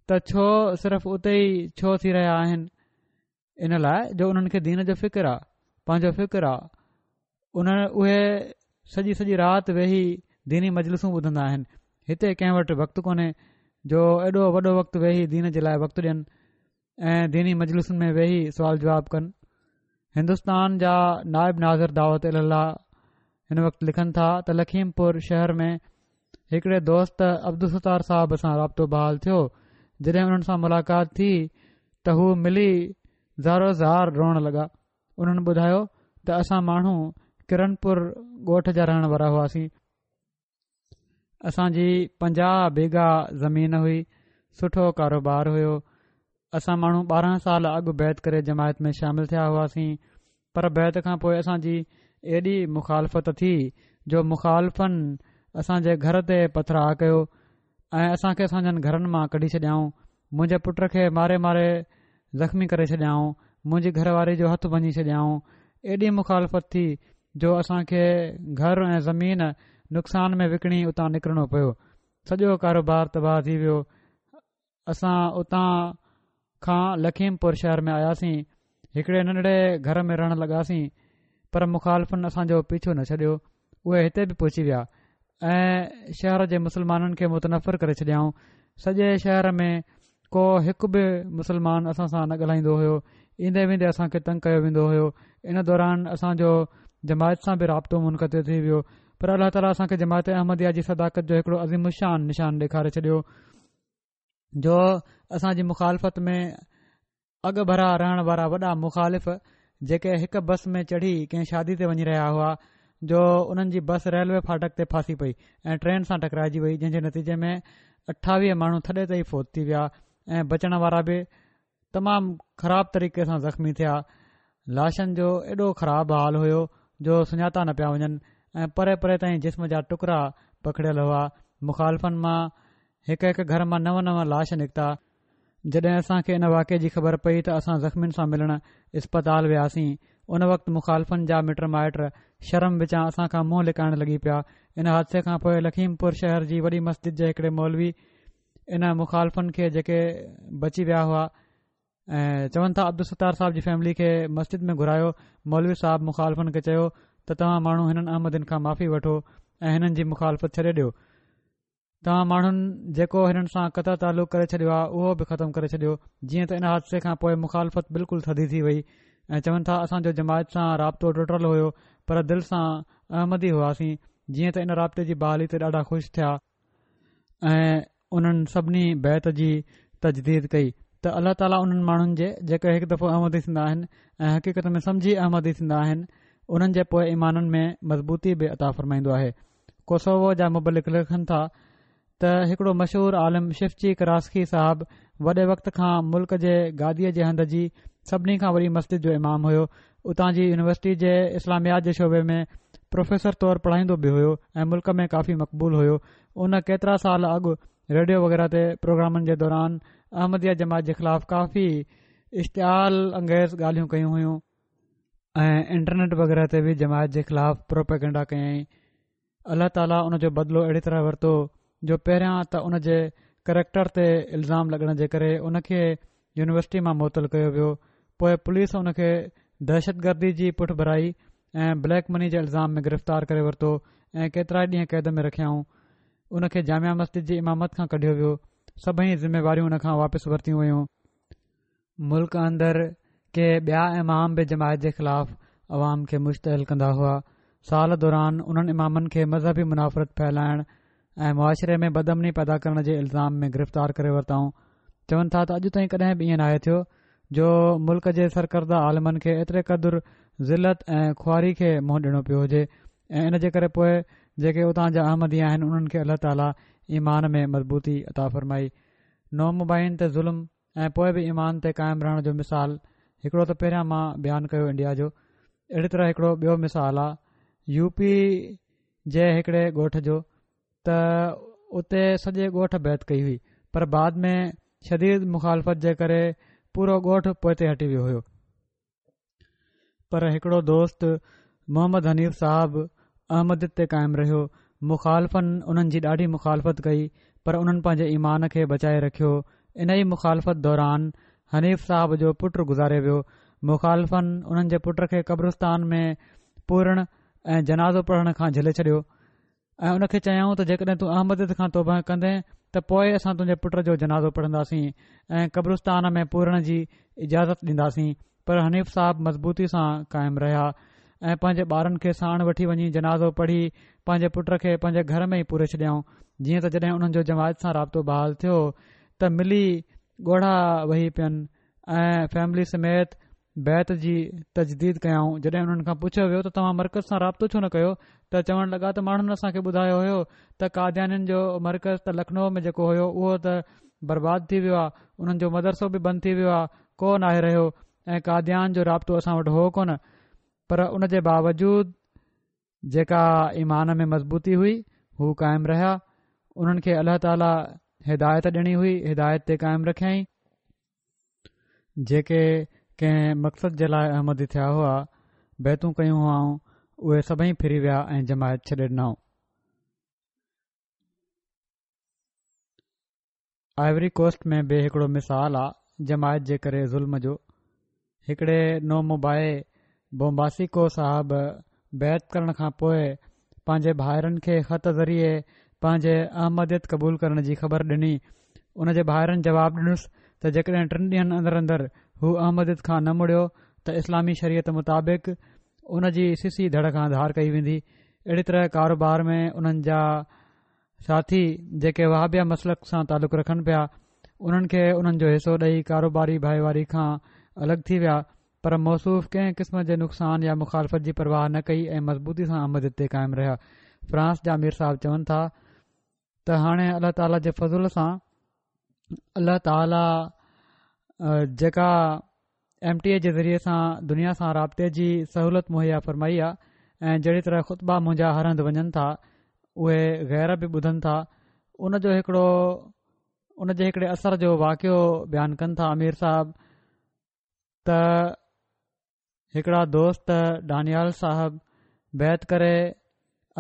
ته ڇو صرف اتي ئي ڇو ٿي رهيا آهن، ان لاء جو انهن کي دين جو فڪر آ، پنهنجو فڪر آ. ان اهي سڄي سڄي رات ويهي ديني مجلسون ٻڌندا آهن. هتي ڪنهن وٽ وقت ڪونهي جو ايڏو وڏو وقت ويهي دين جي لاء وقت ڏين ۽ ديني مجلسن ۾ ويهي سوال جواب ڪن. هندستان جا نائب ناظر دعوت الي الله هن وقت لکن ٿا ته لکيمپور شهر ۾ هڪڙي دوست عبدالستار صاحب سان رابطو بحال ٿيو. جڏهن انهن سان ملاقات ٿي ته هو ملي زارو زار روئڻ لڳا. انهن ٻڌايو ته اسان ماڻهو ڪرنپور ڳوٺ جا رهڻ وارا هئاسين. اسان جي پنجاهه بيگا زمين هئي، سٺو ڪاروبار هيو. اسان ماڻهو ٻارهن سال اڳ بيعت ڪري جماعت ۾ شامل ٿيا هئاسين، پر بيعت کان پوء اسان جي ايڏي مخالفت ٿي جو مخالفن اسان جي گهر تي پٿراء ڪيو ۽ اسان کي اسان گهرن مان ڪڍي ڇڏيائون. منهنجي پٽ کي ماري ماري زخمي ڪري ڇڏيائون، منهنجي گهر واري جو هٿ ڀڃي ڇڏيائون. ايڏي مخالفت ٿي جو اسان کي گهر ۽ زمين نقصان ۾ وڪڻي اتان نڪرڻو پيو. سڄو ڪاروبار تباهه ٿي ويو. اسان اتان کان لکيمپور شهر ۾ آياسين، هڪڙي ننڍڙي گهر ۾ رهڻ لڳاسين، پر مخالفن اسان جو پيڇو نه ڇڏيو. اهي هتي به پهچي ويا ۽ شهر جي مسلمانن کي متنفر ڪري ڇڏيائون. سڄي شهر ۾ ڪو هڪ به مسلمان اسان سان نه ڳالهائيندو هيو. ايندي ويندي اسان کي تنگ ڪيو ويندو هيو. ان دوران اسان جو جماعت سان به رابطو منقطع ٿي ويو، پر الله تعاليٰ اسان کي جماعت احمديه جي صداقت جو هڪڙو عظيم الشان نشان ڏيکاري ڇڏيو جو اسان جي مخالفت ۾ اڳ ڀرا رهڻ وارا وڏا مخالف جيڪي هڪ بس ۾ چڙهي ڪنهن شادي تي وڃي رهيا هئا، جو انهن جي بس ريلوي ڦاٽڪ تي ڦاسي پئي ۽ ٽرين سان ٽڪرائجي وئي، جنهن جي نتيجي ۾ اٺاويهه ماڻهو ٿڏي تي ئي فوت ٿي ويا ۽ بچڻ وارا به تمام خراب طريقي سان زخمي ٿيا. لاشن جو ايڏو خراب حال هيو جو سڃاتا نه پيا وڃن ۽ پري پري تائين جسم جا ٽڪرا پکڙيل هئا. مخالفن مان هڪ هڪ گهر مان نو نو لاش نڪتا. جڏهن اسان کي ان واقعي جي خبر پئي ته اسان زخمين سان ملڻ اسپتال وياسين. ان وقت مخالفن جا مٽ مائٽ شرم وچان اسان کان منهن لڪائڻ لڳي پيا. ان حادثي کان پوء لکيمپور شهر جي وڏي مسجد جي هڪڙي مولوي ان مخالفن کي جيڪي بچي ويا هئا ۽ چون ٿا عبدالستار صاحب جي فيملي کي مسجد ۾ گهرايو. مولوي صاحب مخالفن کي چيو ته توهان ماڻهو هنن احمدين کان معافي وٺو ۽ هنن جي مخالفت ڇڏي ڏيو. توهان ماڻهن جيڪو هنن سان قطع تعلق ڪري ڇڏيو آهي اهو به ختم ڪري ڇڏيو. جيئن ته ان حادثي کان پوء مخالفت بلڪل ٿڌي ٿي وئي ۽ چون ٿا اسان جو جماعت سان رابطو ٽٽل هيو پر دل سان احمدي هئاسين. جيئن ته ان رابطي جي بحالي تي ڏاڍا خوش ٿيا ۽ انهن سڀني بيعت جي تجديد ڪئي ته الله تعاليٰ انهن ماڻهن جي جيڪي هڪ دفعو احمدي ٿيندا آهن ۽ حقيقت ۾ سمجهي احمدي ٿيندا آهن انهن جي پوء ايمانن ۾ مضبوطي به عطا فرمائيندو آهي. ڪوسوو جا مبلغ لکن ٿا ته هڪڙو مشهور عالم شفچي ڪراسڪي صاحب وڏي وقت کان ملڪ جي گاديء جي هنڌ جي سڀني کان وڏي مسجد جو امام هيو. اتان جي يونيورسٽي جي اسلاميات جي شعبي ۾ پروفيسر طور پڙهائيندو به هيو ۽ ملڪ ۾ ڪافي مقبول هيو. ان ڪيترا سال اڳ ريڊيو وغيره تي پروگرامن جي دوران احمديه جماعت جي خلاف ڪافي اشتعال انگيز ڳالهيون ڪيون هيون ۽ انٽرنيٽ وغيره تي به جماعت جي خلاف پروپيگنڊا ڪيائين. الله تعاليٰ ان جو بدلو اهڙي طرح ورتو جو پهريان ته ان جي ڪريڪٽر تي الزام لڳڻ جي ڪري ان کي يونيورسٽي مان معطل ڪيو ويو، پوء پوليس ان کي دهشتگردي جي پٺڀرائي ۽ بليڪ مني جي الزام ۾ گرفتار ڪري ورتو ۽ ڪيترائي ڏينهن قيد ۾ رکيائون. ان کي جامع مسجد جي امامت کان ڪڍيو ويو. سڀئي ذميواريون ان کان واپس ورتيون ويون. ملڪ اندر ڪي ٻيا امام به جماعت جي خلاف عوام کي مشتعل ڪندا هئا. سال دوران انهن امامن کي مذهبي منافرت ڦهلائڻ ۽ معاشري ۾ بدامني پيدا ڪرڻ جي الزام ۾ گرفتار ڪري ورتائون. چون ٿا ته اڄ تائين ڪڏهن به ائين ناهي ٿيو جو ملڪ جي سرڪرده عالمن کي ايتري قدر ذلت ۽ خواري کي منهن ڏيڻو پيو هجي ۽ ان جي ڪري پوء جيڪي اتان جا احمدي آهن انهن کي الله تعاليٰ ايمان ۾ مضبوطي عطا فرمائي. نومبائعين تي ظلم ۽ پوء به ايمان تي قائم رهڻ جو مثال هڪڙو ته پهريان مان بيان ڪيو انڊيا جو، اهڙي طرح هڪڙو ٻيو مثال آ يو پي جي هڪڙي ڳوٺ جو ته اتي سڄي ڳوٺ بيعت ڪئي هئي پر بعد ۾ شديد مخالفت جي ڪري پورو ڳوٺ پوئتي هٽي ويو هيو. پر هڪڙو دوست محمد حنيف صاحب احمديت تي قائم رهيو. مخالفن انهن جي ڏاڍي مخالفت ڪئي پر انهن پنهنجي ايمان کي بچائي رکيو. انهي مخالفت دوران حنيف صاحب جو پٽ گذاري ويو. مخالفن انهن جي پٽ کي قبرستان ۾ پورڻ ۽ جنازو پڙهڻ کان جهلي ڇڏيو ۽ ان کي چيائون ته جيڪڏهن تون احمديت کان توبه ڪندين ته پوء اسان تنهنجي پٽ جو جنازو پڙهنداسين ۽ قبرستان ۾ پورڻ جي اجازت ڏينداسين. پر حنيف صاحب مضبوطي سان قائم رهيا ۽ پنهنجي ٻارن کي ساڻ وٺي وڃي جنازو پڙهي پنهنجي پٽ کي پنهنجي گهر ۾ ئي پوري ڇڏيائون. جيئن ته جڏهن انهن جو جماعت سان رابطو بحال ٿيو ته ملي ڳوڙها وهي پين ۽ فيملي سميت بيعت جي تجديد ڪيائون. جڏهن انهن کان پڇيو ويو ته توهان مرڪز سان رابطو ڇو نه ڪيو ته چوڻ لڳا ته ماڻهن اسان کي ٻڌايو هيو ته قاديانين جو مرڪز ته لکنؤ ۾ جيڪو هيو اهو ته برباد ٿي ويو آهي، انهن جو مدرسو به بند ٿي ويو آهي، ڪو ناهي رهيو ۽ قاديان جو رابطو اسان وٽ هو ڪونه. پر ان جي باوجود جيڪا ايمان ۾ مضبوطي هئي هو قائم رهيا. انهن کي الله تعاليٰ هدايت ڏيڻي هئي، هدايت تي قائم رکيائين. جيڪي ڪنهن مقصد جي لاء احمدي ٿيا هئا، بيعتون ڪيون هئائون، اهي سڀئي ڦري ويا ۽ جماعت ڇڏي ڏنائون. آئيوري ڪوسٽ ۾ به هڪڙو مثال آ جماعت جي ڪري ظلم جو. هڪڙي نومبائع بومباسيڪو صاحب بيعت ڪرڻ کان پوء پنهنجي ڀائرن کي خط ذريعي پنهنجي احمديت قبول ڪرڻ جي خبر ڏني. ان جي ڀائرن جواب ڏنس ته جيڪڏهن ٽن ڏينهن اندر اندر هو احمديت کان نه مڙيو ته اسلامي شريعت مطابق ان جي سسي ڌڙ کان ڌار ڪئي ويندي. اهڙي طرح ڪاروبار ۾ انهن جا ساٿي جيڪي وهابيه مسلڪ سان تعلق رکن پيا انهن کي انهن جو حصو ڏئي ڪاروباري ڀائيواري کان الڳ ٿي ويا پر موصوف ڪنهن قسم جي نقصان يا مخالفت جي پرواهه نه ڪئي ۽ مضبوطي سان احمديت تي قائم رهيا. فرانس جا امير صاحب چون ٿا ته هاڻي الله تعاليٰ جي فضل سان الله تعاليٰ جيڪا ايم ٽي اي جي ذريعي سان دنيا سان رابطي جي سهولت مهيا فرمائي آ ۽ جهڙي طرح خطبا منهنجا هر هنڌ وڃن ٿا اهي غير به ٻڌن ٿا ان جو هڪڙو ان جي هڪڙي اثر جو واقعو بيان ڪن ٿا امير صاحب ته هڪڙا دوست ڊانيال صاحب بيعت ڪري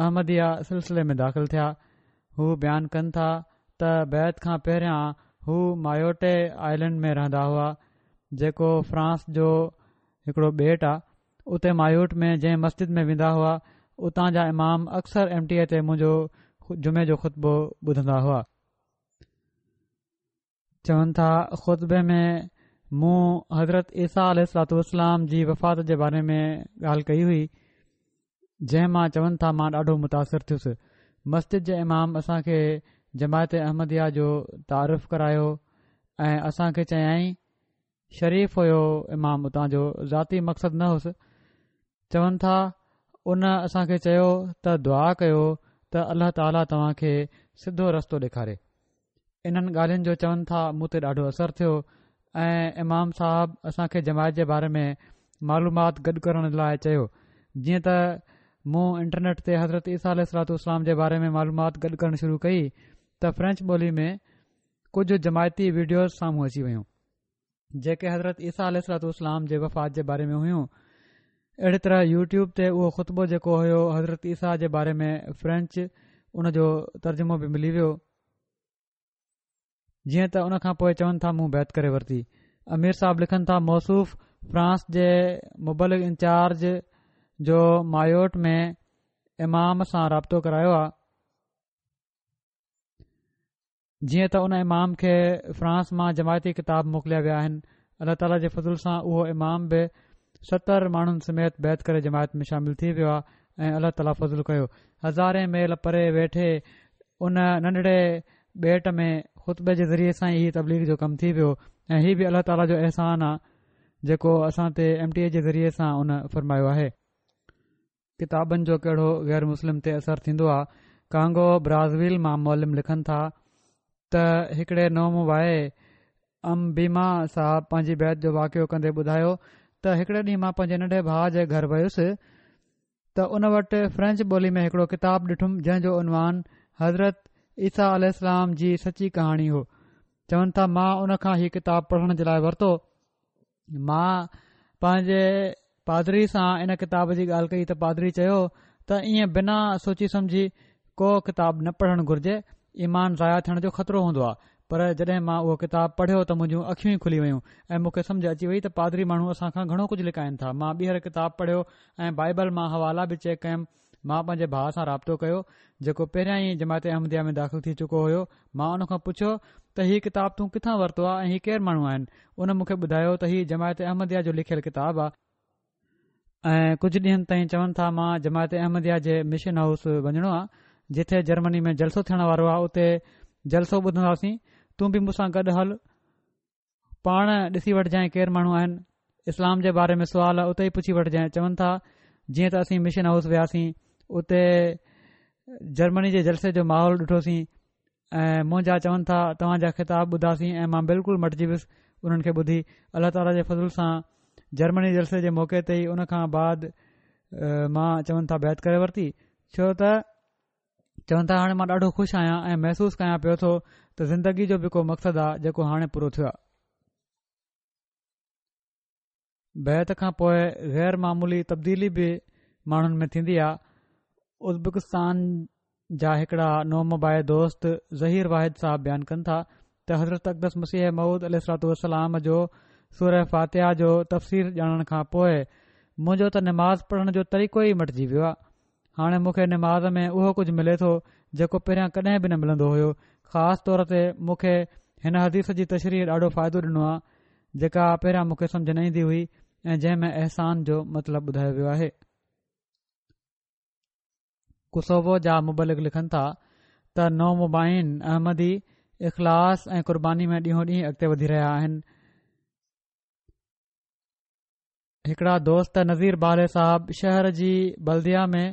احمديه سلسلي ۾ داخل ٿيا. هو بيان ڪن ٿا ته بيعت کان پهريان هو مايوٽي آئلينڊ ۾ رهندا هئا جيڪو فرانس جو هڪڙو ٻيٽ آ. اتي مايوٽ ۾ جنهن مسجد ۾ ويندا هئا اتان جا امام اڪثر ايم ٽي اي تي منهنجو جمعي جو خطبو ٻڌندا هئا. چون ٿا خطبي ۾ مون حضرت عيسيٰ عليه الصلوة والسلام جي وفات جي باري ۾ ڳالهه ڪئي هئي جنهن مان چون ٿا مان ڏاڍو متاثر ٿيس. مسجد جي امام اسان کي جماعت احمديه جو تعارف ڪرايو ۽ اسان کي چيائين، شريف هيو امام اتان جو، ذاتي مقصد نه هوس، چون ٿا ان اسان کي چيو ته دعا ڪيو ته الله تعاليٰ توهان کي سڌو رستو ڏيکاري. انهن ڳالهين جو چون ٿا مون تي ڏاڍو اثر ٿيو ۽ امام صاحب اسان کي جماعت جي باري ۾ معلومات گڏ ڪرڻ لاء چيو. جيئن ته مون انٽرنيٽ تي حضرت عيسيٰ عليه الصلوة والسلام جي باري ۾ معلومات گڏ ڪرڻ شروع ڪئي ته فرينچ ٻولي ۾ ڪجهه جماعتي وڊيوز سامهون اچي ويون جيڪي حضرت عيسيٰ عليه الصلوة والسلام جي وفات جي باري ۾ هيون. اهڙي طرح يوٽيوب تي اهو خطبو جيڪو هيو حضرت عيسيٰ جي باري ۾ فرينچ ان جو ترجمو به ملي ويو. جيئن ته ان کان پوء چون ٿا مون بيعت ڪري ورتي. امير صاحب لکن ٿا موصوف فرانس جي مبلغ انچارج جو مايوٽ ۾ امام سان رابطو ڪرايو آهي. جيئن ته ان امام کي فرانس مان جماعتي ڪتاب موڪليا ويا آهن. الله تعاليٰ جي فضل سان اهو امام به ستر ماڻهن سميت بيعت ڪري جماعت ۾ شامل ٿي ويو آهي ۽ الله تعاليٰ فضل ڪيو. هزارين ميل پري ويٺي ان ننڍڙي ٻيٽ ۾ خطبي جي ذريعي سان ئي تبليغ جو ڪم ٿي ويو ۽ هي به الله تعاليٰ جو احسان آهي جيڪو اسان تي ايم ٽي اي جي ذريعي سان ان فرمايو آهي. ڪتابن جو ڪهڙو غير مسلم تي اثر ٿيندو آهي. ڪانگو برازويل مان معلم لکن ٿا ته هڪڙي نومبائع امبيما صاحب پنهنجي بيعت جو واقعو ڪندي ٻڌايو ته هڪڙي ڏينهن مان پنهنجي ننڍي ڀاء جي گهر ويس ته ان وٽ فرينچ ٻولي ۾ هڪڙو ڪتاب ڏٺم جنهن جو عنوان حضرت عيسيٰ عليه السلام جي سچي ڪهاڻي هو. چون ٿا مان ان کان هي ڪتاب پڙهڻ جي لاء ورتو. مان پنهنجي پادري سان ان ڪتاب جي ڳالهه ڪئي ته پادري چيو ته ائين بنا سوچي سمجهي ڪو ڪتاب نه پڙهڻ گهرجي، ايمان ضايع ٿيڻ جو خطرو هوندو آهي. پر جڏهن مان اهو ڪتاب پڙهيو ته منهنجون اکيون ئي کلي ويون ۽ مون کي سمجهه اچي وئي ته پادري ماڻهو اسان کان گهڻو ڪجهه لڪائن ٿا. مان ٻيهر ڪتاب پڙهيو ۽ بائيبل مان حوالا به چيڪ ڪيم. مان پنهنجي ڀاء سان رابطو ڪيو جيڪو پهريان ئي جماعت احمديه ۾ داخل ٿي چڪو هيو. مان ان کان پڇيو ته هي ڪتاب تون ڪٿان ورتو آهي ۽ هي ڪير ماڻهو آهن؟ ان مون کي ٻڌايو ته هي جماعت احمديه جو لکيل ڪتاب آهي ۽ ڪجهه ڏينهن تائين چون ٿا مان جماعت احمديه جي مشن هائوس وڃڻو آهي جتي جرمني ۾ جلسو ٿيڻ وارو آهي، اتي جلسو ٻڌنداسين، تون به مون سان گڏ هل، پاڻ ڏسي وٺجانء ڪير ماڻهو آهن، اسلام جي باري ۾ سوال اتي ئي پڇي وٺجانء. چون ٿا جيئن ته اسين مشن هائوس وياسين اتي جرمني جي جلسي جو ماحول ڏٺوسين ۽ منهنجا چون ٿا توهان جا خطاب ٻڌاسين ۽ مان بلڪل مٽجي ويس انهن کي ٻڌي. الله تعاليٰ جي فضل سان جرمني جلسي جي موقعي تي ئي ان کان بعد مان چون ٿا بيعت ڪري ورتي، ڇو ته چون ٿا هاڻي مان ڏاڍو خوش آهيان ۽ محسوس ڪيان پيو ٿو ته زندگي جو به ڪو مقصد آهي جيڪو هاڻي پورو ٿيو آهي. بيعت کان پوء غير معمولي تبديلي به ماڻهن ۾ ٿيندي آهي. ازبڪستان جا هڪڙا نومبائع دوست ظهير واحد صاحب بيان ڪن ٿا ته حضرت اقدس مسيح موعود عليه الصلوة والسلام جو سوره فاتحه جو تفسير ڄاڻڻ کان پوء منهنجو ته نماز پڙهڻ جو طريقو ئي مٽجي ويو آهي. هاڻي مون کي نماز ۾ اهو ڪجهه ملي ٿو جيڪو پهريان ڪڏهن به نه ملندو هيو. خاص طور تي مون کي هن حديث جي تشريح ڏاڍو فائدو ڏنو آهي جيڪا پهريان مون کي سمجهه نه ايندي هئي ۽ جنهن ۾ احسان جو مطلب ٻڌايو ويو آهي. ڪوسوو جا مبلغ لکن ٿا ته نومبائعين احمدي اخلاص ۽ قرباني ۾ ڏينهون ڏينهن اڳتي وڌي رهيا آهن. هڪڙا دوست نذير بالي صاحب شهر جي بلديه ۾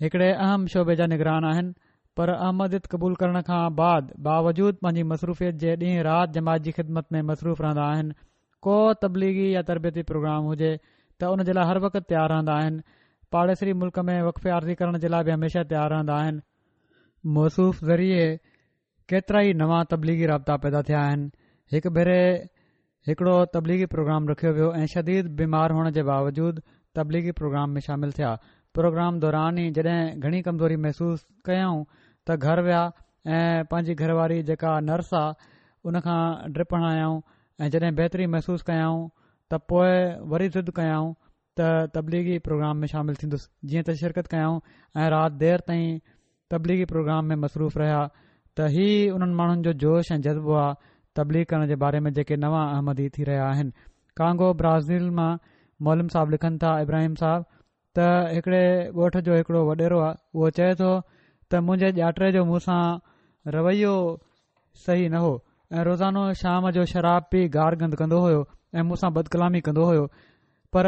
هڪڙي اهم شعبي جا نگران آهن، پر احمديت قبول ڪرڻ کان بعد باوجود پنهنجي مصروفيت جي ڏينهن رات جماعت جي خدمت ۾ مصروف رهندا آهن. ڪو تبليغي يا تربيتي پروگرام هجي ته ان جي لاء هر وقت تيار رهندا آهن. پاڙيسري ملڪ ۾ وقف عارضي ڪرڻ جي لاء به هميشه تيار رهندا آهن. موصوف ذريعي ڪيترائي نوان تبليغي رابطا پيدا ٿيا آهن. هڪ ڀيري هڪڙو تبليغي پروگرام رکيو ويو ۽ شديد بيمار هئڻ جي باوجود تبليغي پروگرام ۾ شامل ٿيا. پروگرام دوران ئي جڏهن گهڻي ڪمزوري محسوس ڪيائون ته گهر ويا ۽ پنهنجي گهر واري جيڪا نرس آ ان کان ڊرپ هڻايائون ۽ جڏهن بهتري محسوس ڪيائون ته پوء وري ضد ڪيائون ته تبليغي پروگرام ۾ شامل ٿيندس، جيئن ته شرڪت ڪيائون ۽ رات دير تائين تبليغي پروگرام ۾ مصروف رهيا ته هي انهن ماڻهن جو جوش ۽ جذبو آ تبليغ ڪرڻ جي باري ۾ جيڪي نوان احمدي ٿي رهيا آهن. ڪانگو برازيل مان معلم صاحب لکن ٿا ابراهيم صاحب ته هڪڙي ڳوٺ جو هڪڙو وڏيرو آ اهو چئي ٿو ته منهنجي ڄاٽي جو مون سان رويو صحيح نه هو ۽ روزانو شام جو شراب پي گار گند ڪندو هيو ۽ مون سان بدڪلامي ڪندو هيو، پر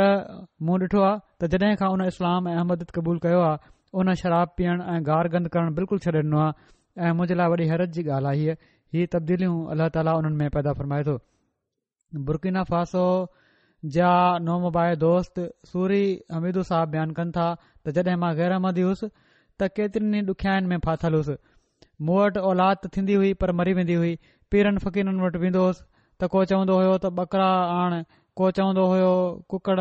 مون ڏٺو آ ته جڏهن کان ان اسلام ۽ احمديت قبول ڪيو آ ان شراب پيئڻ ۽ گار گند ڪرڻ بلڪل ڇڏي ڏنو آ ۽ منهنجي لاء وڏي حيرت جي ڳالهه آهي. هي تبديليون الله تعاليٰ انهن ۾ پيدا فرمائي ٿو. برڪينا فاسو جا نومبائع دوست سوري حميدو صاحب بيان ڪن ٿا ته جڏهن مان غير احمدي هيس ته ڪيترين ئي ڏکيائين ۾ ڦاٿل هيس. مون وٽ اولاد ته ٿيندي هئي پر مري ويندي هئي. پيرن فقيرن وٽ ويندو هوس ته ڪو چوندو هيو ته ٻڪرا آڻ، ڪو چوندو هيو ڪڪڙ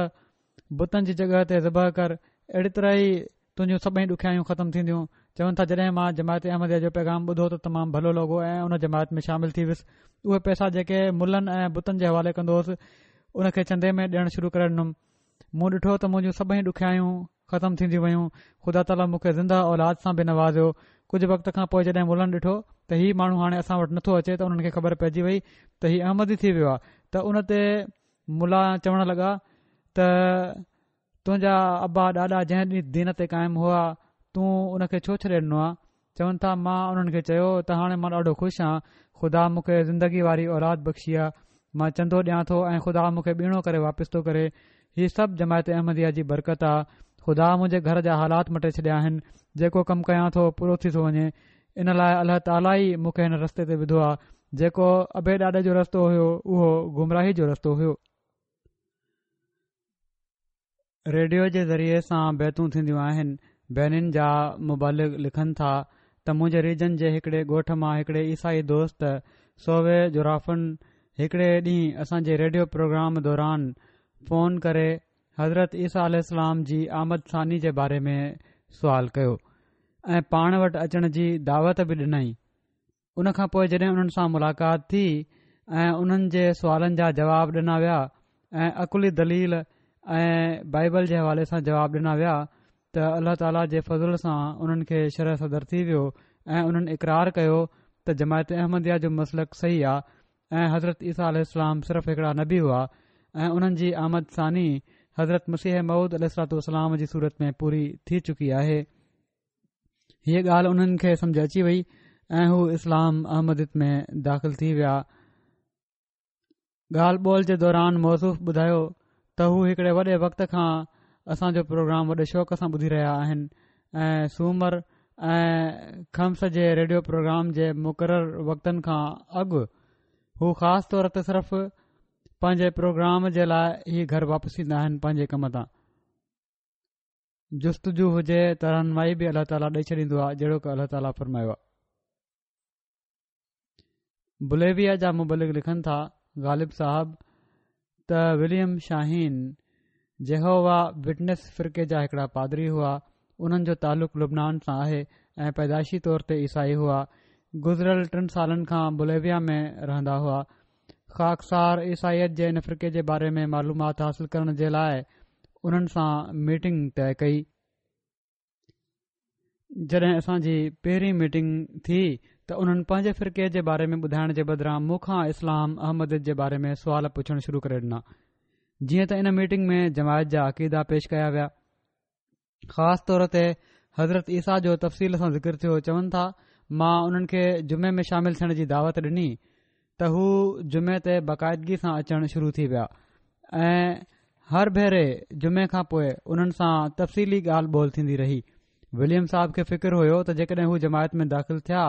بتن جي جڳهه تي ذبح ڪر، اهڙي طرح ئي تنهنجون سڀئي ڏکيائيون ختم ٿينديون. چون ٿا جڏهن مان جماعت احمديه جو پيغام ٻڌو ته تمام ڀلو لڳو ۽ ان جماعت ۾ شامل ٿي ويس. اهي پئسا جيڪي ملن ۽ بتن جي حوالي ڪندو هوس ان کي چندي ۾ ڏيڻ شروع ڪري ڏنم. مون ڏٺو ته منهنجون سڀئي ڏکيائيون ختم ٿينديون ويون. خدا تعاليٰ مون کي زنده اولاد سان به نوازيو. ڪجهه وقت کان پوءِ جڏهن ملن ڏٺو ته هي ماڻهو هاڻي اسان وٽ نٿو اچي ته انهن کي خبر پئجي وئي ته هي احمدي ٿي ويو آهي. ته ان تي ملا چوڻ لڳا ته تنهنجا ابا ڏاڏا جنهن دين تي قائم هئا تون ان کي ڇو ڇڏي ڏنو آهي؟ چون ٿا مان انهن کي چيو ته هاڻي مان ڏاڍو خوش آهيان، خدا مون کي زندگي واري اولاد بخشي آهي، مان چندو ڏيان ٿو ۽ خدا مون کي ٻيڻو ڪري واپس ٿو ڪري. هي سڀ جماعت احمديه جي برڪت آهي. خدا منهنجي گهر جا حالات مٽي ڇڏيا آهن، جيڪو ڪم ڪيان ٿو پورو ٿي ٿو وڃي. ان لاءِ الله تعاليٰ ئي مون کي هن رستي تي وڌو آهي. جيڪو ابي ڏاڏي جو رستو هيو اهو گمراهي جو رستو هيو. ريڊيو جي ذريعي سان بيعتون ٿينديون آهن. بينن جا مبلغ لکن ٿا ته منهنجي ريجن جي هڪڙي ڳوٺ مان هڪڙي عيسائي دوست سووي جورافن هڪڙي ڏينهن اسان جي ريڊيو پروگرام دوران فون ڪري حضرت عيسيٰ عليه السلام جي آمد ثاني جي باري ۾ سوال ڪيو ۽ پاڻ وٽ اچڻ جي دعوت به ڏنائين. ان کان پوءِ جڏهن انهن سان ملاقات ٿي ۽ انهن جي سوالن جا جواب ڏنا ويا ۽ عقلي دليل ۽ بائبل جي حوالي سان جواب ڏنا ويا ته الله تعاليٰ جي فضل سان انهن کي شرح صدر ٿي ويو ۽ انهن اقرار ڪيو ته جماعت احمديه جو مسلڪ صحيح آهي ۽ حضرت عيسيٰ عليه السلام صرف هڪڙا نبي هئا ۽ انهن جي آمد ثاني حضرت مسيح موعود عليه الصلوة والسلام جي صورت ۾ پوري ٿي چڪي آهي. هيءَ ڳالهه انهن کي سمجهه اچي وئي ۽ هو اسلام احمديت ۾ داخل ٿي ويا. ڳالهه ٻولهه جي دوران موصوف ٻڌايو ته هو هڪڙي وڏي وقت کان اسان جو پروگرام وڏي شوق سان ٻڌي رهيا آهن ۽ سومر ۽ خميس جي ريڊيو پروگرام جي مقرر وقتن کان اڳ هو خاص طور تي صرف پنهنجي پروگرام جي لاءِ ئي گهر واپس ايندا آهن پنهنجي ڪم تان. جستجو هجي ته رهنمائي به الله تعاليٰ ڏئي ڇڏيندو آهي، جهڙوڪ الله تعاليٰ فرمايو آهي. بوليويا جا مبلغ لکن ٿا غالب صاحب ته وليم شاهين جيهووا وٽنس فرقي جا هڪڙا پادري هئا. انهن جو تعلق لبنان سان آهي ۽ پيدائشي طور تي عيسائي هئا. گذريل ٽن سالن کان بوليويا ۾ رهندا هئا. خاڪسار عيسائيت جي ان فرقي جي باري ۾ معلومات حاصل ڪرڻ جي لاءِ انهن سان ميٽنگ طئي ڪئي. جڏهن اسان جي پهرين ميٽنگ ٿي ته انهن پنهنجي فرقي جي باري ۾ ٻڌائڻ جي بدران مون کان اسلام احمديت جي باري ۾ سوال پڇڻ شروع ڪري ڏنا. جيئن ته ان ميٽنگ ۾ جماعت جا عقيدا پيش ڪيا ويا، خاص طور تي حضرت عيسيٰ جو تفصيل سان ذڪر ٿيو. چون ٿا مان انهن کي جمعي ۾ شامل ٿيڻ جي دعوت ڏني ته هو جمعي تي باقاعدگي سان اچڻ شروع ٿي ويا ۽ هر ڀيري جمعي کان پوءِ انهن سان تفصيلي ڳالهه ٻولهه ٿيندي رهي. وليم صاحب کي فڪر هيو ته جيڪڏهن هو جماعت ۾ داخل ٿيا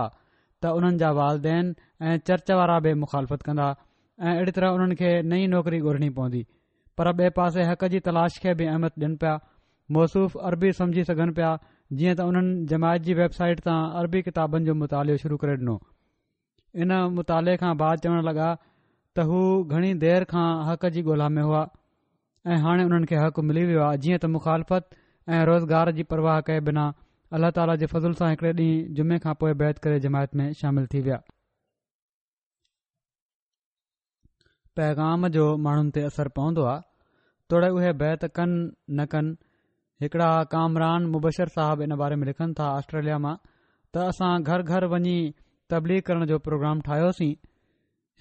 ته انهن جا والدين ۽ چرچ وارا به مخالفت ڪندا ۽ اهڙي طرح انهن کي نئين نوڪري ڳولهڻي پوندي، پر ٻئي پاسي حق جي تلاش کي به اهميت ڏين پيا. موصوف عربي سمجهي سگهن پيا، جيئن ته انهن جماعت جي ويب سائيٽ تان عربي ڪتابن جو مطالعو شروع ڪري ڏنو. ان مطالعي کان بعد چوڻ لڳا ته هو گهڻي دير کان حق جي ڳولها ۾ هئا ۽ هاڻي انهن کي حق ملي ويو آهي. جيئن ته مخالفت ۽ روزگار جي پرواهه ڪئي بنا الله تعاليٰ جي فضل سان هڪڙي ڏينهن جمعي کان پوءِ بيعت ڪري جماعت ۾ شامل ٿي ويا. پيغام جو ماڻهن تي اثر پوندو آهي، توڙي اهي بيعت ڪن نه ڪن. هڪڙا ڪامران مبشر صاحب ان باري ۾ لکن ٿا آسٽريليا مان ته اسان گهر گهر وڃي تبليغ ڪرڻ جو پروگرام ٺاهيوسين.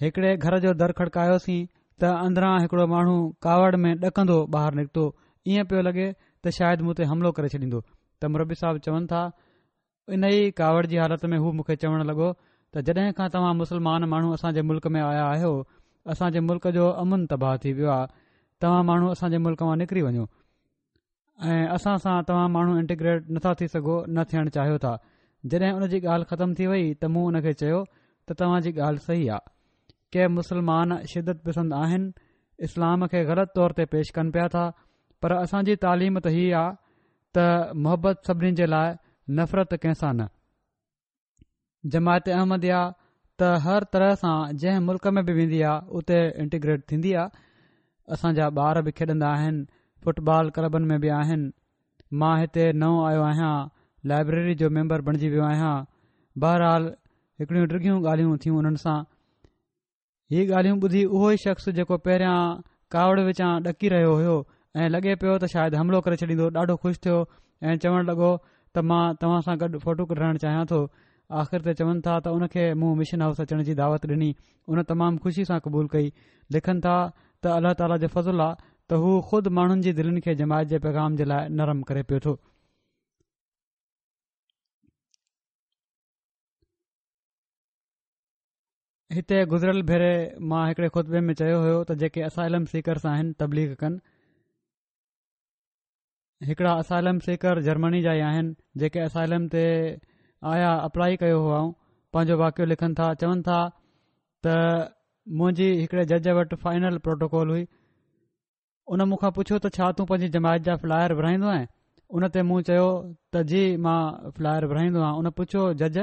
هڪڙي گهر جو در کڙڪايوسين ته اندران هڪڙو ماڻهو ڪاوڙ ۾ ڏڪندو ٻاهر نڪتو. ائين پيو لڳي ته شايد مون تي حملو ڪري ڇڏيندو. ته مربي صاحب چون ٿا ان ئي ڪاوڙ جي حالت ۾ هو مون کي چوڻ لڳو ته جڏهن کان توهان مسلمان ماڻهو اسان جي ملڪ ۾ آيا آهيو اسان جي ملڪ جو امن تباهه ٿي ويو آهي. توهان ماڻهو اسان جي ملڪ مان نڪري وڃو ۽ اسان سان توهان ماڻهو انٽيگريٽ نٿا ٿي سگهو، نه ٿيڻ چاهيو ٿا. جڏهن ان جي ڳالهه ختم ٿي وئي ته مون ان کي چيو ته توهان جي ڳالهه صحيح آهي. ڪي مسلمان شدت پسند آهن، اسلام کي غلط طور تي پيش ڪن پيا ٿا، پر اسان جي تعليم ته هي آهي ته محبت سڀني جي لاءِ، نفرت ڪنهن سان نه. جماعت احمديه ته هر طرح سان جنهن ملڪ ۾ به ويندي آهي اتي انٽيگريٽ ٿيندي آهي. اسان جا ٻار به کيڏندا آهن، فٽبال ڪلبن ۾ به آهن. مان هتي نئون آيو آهيان، لائبريري جو ميمبر بڻجي ويو آهيان. بهرحال هڪڙيون ڊگهيون ڳالهيون ٿيون انهن سان. هي ڳالهيون ٻڌي اهو ئي شخص جيڪو پهريان ڪاوڙ وچان ڏڪي رهيو هيو ۽ لڳي پيو ته شايد حملو ڪري ڇڏيندو. ڏاڍو خوش ٿيو ۽ چوڻ لڳو ته مان توهان سان گڏ فوٽو ڪڍرائڻ چاهيان ٿو. آخر تي چون ٿا ته ان کي مون مشن هائوس اچڻ جي دعوت ڏني، ان تمام خوشي سان قبول ڪئي. لکن ٿا ته الله تعاليٰ جو فضل آ ته هو خود ماڻهن جي دلين کي جماعت جي پيغام جي لاء نرم ڪري پيو ٿو. هتي گذريل ڀيري مان هڪڙي خطبي ۾ چيو هيو ته جيڪي اسائلم سيڪرس آهن تبليغ ڪن. هڪڙا اسائلم سيڪر جرمني جا ئي آهن جيڪي اسائلم تي آيا اپلائي ڪيو هئائون، پنهنجو واقعو لکن ٿا. چون ٿا ته منهنجي هڪڙي جج وٽ فائنل پروٽوڪول هئي، ان مون کان پڇيو ته ڇا تون پنهنجي جماعت جا فلائر ورهائيندو آهين؟ ان تي مون چيو ته جي مان فلائر ورهائيندو آهيان. ان پڇيو جج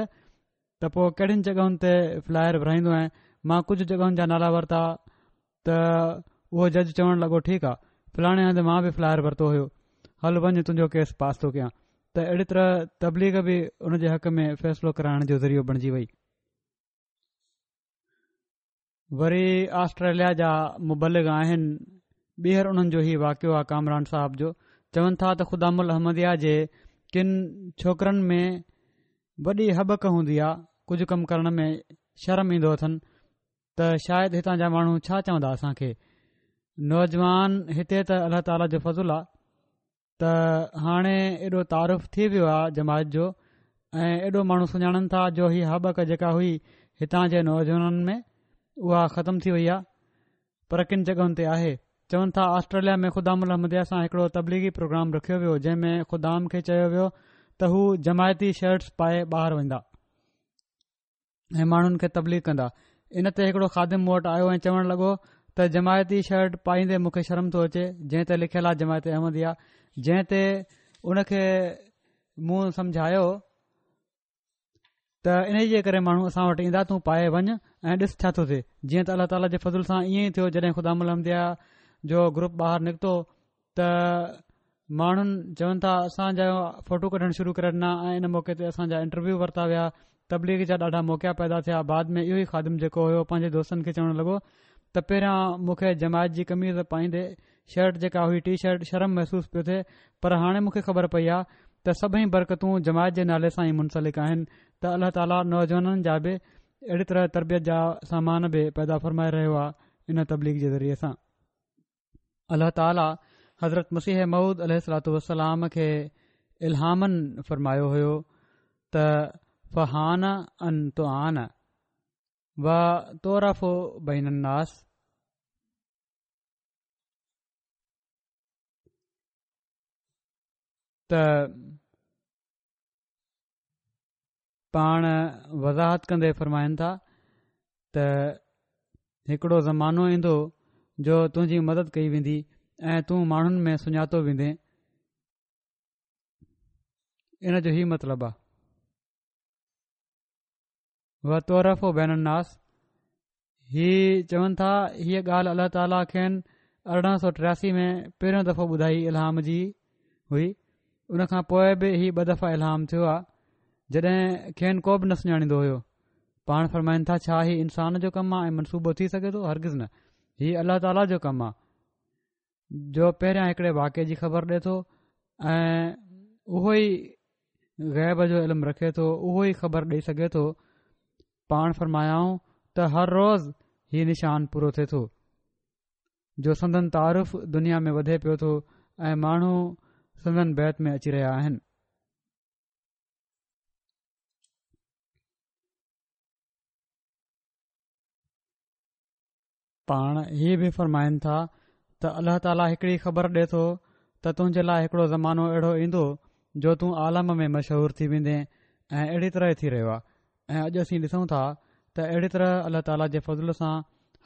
ته پوء ڪهڙين جڳهن تي فلائر ورهائيندو آهين؟ مان ڪجهه جڳهن جا نالا ورتا ته اهو جج چوڻ لڳو ٺيڪ آهي، فلاڻي هنڌ مان به فلائر ورتو هيو، هل وڃ تنهنجو ڪيس پاس ٿو ڪيان. ته اهڙي طرح تبليغ به ان جي حق ۾ فيصلو ڪرائڻ جو ذريعو بڻجي وئي. وري آسٽريليا جا مبلغ آهن، ٻيهر انهن جو هي واقعو آهي ڪامران صاحب جو. چون ٿا ته خدام الاحمديه جي ڪن ڇوڪرن ۾ وڏي هٻڪ هوندي آهي، ڪجهه ڪم ڪرڻ ۾ شرم ايندو اٿن ته شايد هتان جا ماڻهو ڇا چوندا اسان کي. نوجوان هتي ته الله تعاليٰ جو فضل آهي ته هاڻي ايڏو تعارف ٿي ويو آهي جماعت جو ۽ ايڏو ماڻهو سڃاڻن ٿا جو هي هٻڪ جيڪا هئي هتان جي نوجوانن ۾ اها ختم ٿي وئي آهي، پر ڪن جڳهن تي آهي. چون ٿا آسٽريليا ۾ خدام الاحمديه سان هڪڙو تبليغي پروگرام رکيو ويو جنهن ۾ خدام کي چيو ويو ته هو جماعتي شرٽس پائي ٻاهر ويندا ۽ ماڻهن کي تبليغ ڪندا. ان تي هڪڙو خادم مون وٽ آيو ۽ چوڻ لڳو ته جماعتي شرٽ پائيندي مون کي شرم ٿو اچي جنهن تي لکيل آهي جماعت احمديه. جنهن تي ان کي مون سمجهايو ته انهيء جي ڪري ماڻهو اسان وٽ ايندا، تون پائي وڃ ۽ ڏس ڇا ٿو ٿئي. جيئن ته الله تعاليٰ جي فضل سان ائين ئي ٿيو. جڏهن خدام الاحمديه جو گروپ ٻاهر نڪتو ته ماڻهن چون ٿا اسان جا فوٽو ڪڍڻ شروع ڪري ڏنا ۽ ان موقعي تي اسان جا انٽرويو ورتا ويا. تبليغ جا ڏاڍا موقعا پيدا ٿيا. بعد ۾ اهو ئي خادم جيڪو هيو پنهنجي دوستن کي چوڻ لڳو ته پهريان مون کي جماعت جي قميص پائيندي شرٽ جيڪا هئي ٽي شرٽ شرم محسوس پيو ٿئي، پر هاڻي مون کي خبر پئي آهي ته سڀئي برڪتون جماعت جي نالي سان ئي منسلڪ آهن ته الله تعاليٰ نوجوانن جا به اهڙي طرح تربيت جا سامان به پيدا فرمائي رهيو آهي ان تبليغ جي ذريعي سان. الله تعاليٰ حضرت مسيح موعود عليه الصلوة والسلام کي الهاماً فرمايو هيو ته فحان ان تعان و تعرف بين الناس. ته پاڻ وضاحت ڪندي فرمائن ٿا ته هڪڙو زمانو ايندو جو تنهنجي مدد ڪئي ويندي ۽ تون ماڻهن ۾ سڃاتو ويندين. ان جو هي مطلب آ و تعرف بين الناس. هي چون ٿا هيء ڳالهه الله تعاليٰ کين ارڙهن سو ٽياسي ۾ پهريون دفعو ٻڌائي الهام جي هئي. ان کان پوء به هي ٻه دفعا الهام ٿيو آ جڏهن کين ڪو به نه سڃاڻيندو هيو. پاڻ فرمائن ٿا ڇا هي انسان جو ڪم آ ۽ منصوبو ٿي سگهي ٿو؟ هرگز نه، هي الله تعاليٰ جو ڪم آ جو پهريان هڪڙي واقعي جي خبر ڏي ٿو ۽ اهو ئي غيب جو علم رکي ٿو، اهو ئي خبر ڏئي سگهي ٿو. پاڻ فرمايائون ته هر روز هي نشان پورو ٿئي ٿو جو سندن تعارف دنيا ۾ وڌي پيو ٿو ۽ ماڻهو سندن بيعت ۾ اچي رهيا آهن. پاڻ هي به فرمائن ٿا ته الله تعاليٰ هڪڙي خبر ڏي ٿو ته تنهنجي لاء هڪڙو زمانو اهڙو ايندو جو تون عالم ۾ مشهور ٿي ويندين ۽ اهڙي طرح ٿي رهيو آهي. ۽ اڄ اسين ڏسون ٿا ته اهڙي طرح الله تعاليٰ جي فضل سان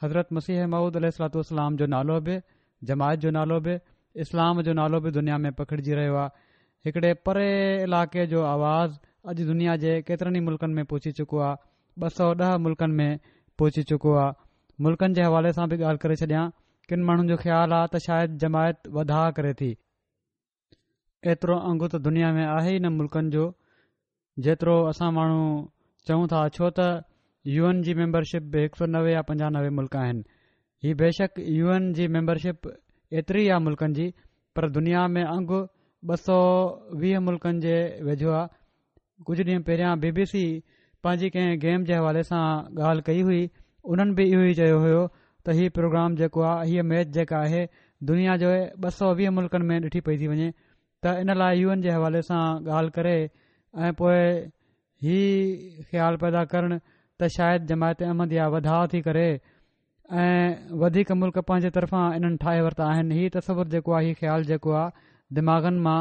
حضرت مسيح موعود عليه الصلوة والسلام جو نالو به، جماعت جو نالو به، اسلام جو نالو به دنيا ۾ پکڙجي رهيو آهي. هڪڙي پري علائقي جو آواز اڄ دنيا جي ڪيترن ئي ملڪن ۾ پهچي چڪو آهي، ٻه سؤ ڏهه ملڪن ۾ پهچي چڪو آهي. ملڪن جي حوالي سان به ڳالهه ڪري ڇڏيان، ڪن ماڻهن جو خيال آهي ته شايد جماعت وڌاء ڪري ٿي. ايترو انگ ته دنيا ۾ آهي ئي نه ملڪن جو جيترو اسان ماڻهو چئون ٿا، ڇو ته يو اين جي ميمبرشپ به هڪ سؤ نوي يا پنجانوي ملڪ آهن. هي بيشڪ يو اين جي ميمبرشپ ايتري آ ملڪن جي، پر دنيا ۾ انگ ٻه سؤ ويهه ملڪن جي ويجهو آهي. ڪجهه ڏينهن پهريان بي بي سي پنهنجي ڪنهن گيم جي حوالي سان ڳالهه ڪئي هئي، انهن به اهو ئي چيو هيو ته هي پروگرام جيڪو آهي، هيء ميچ جيڪا آهي دنيا جي ٻه سؤ ويهه ملڪن ۾ ڏٺي پئي ٿي وڃي، ته ان لاء يو اين جي حوالي سان ڳالهه ڪري ۽ پوء هي خيال پيدا ڪرڻ ته شايد جماعت احمديه وڌاء ٿي ڪري ۽ وڌيڪ ملڪ پنهنجي طرفان انهن ٺاهي ورتا آهن، هي تصور جيڪو آهي، هي خيال جيڪو آهي دماغن مان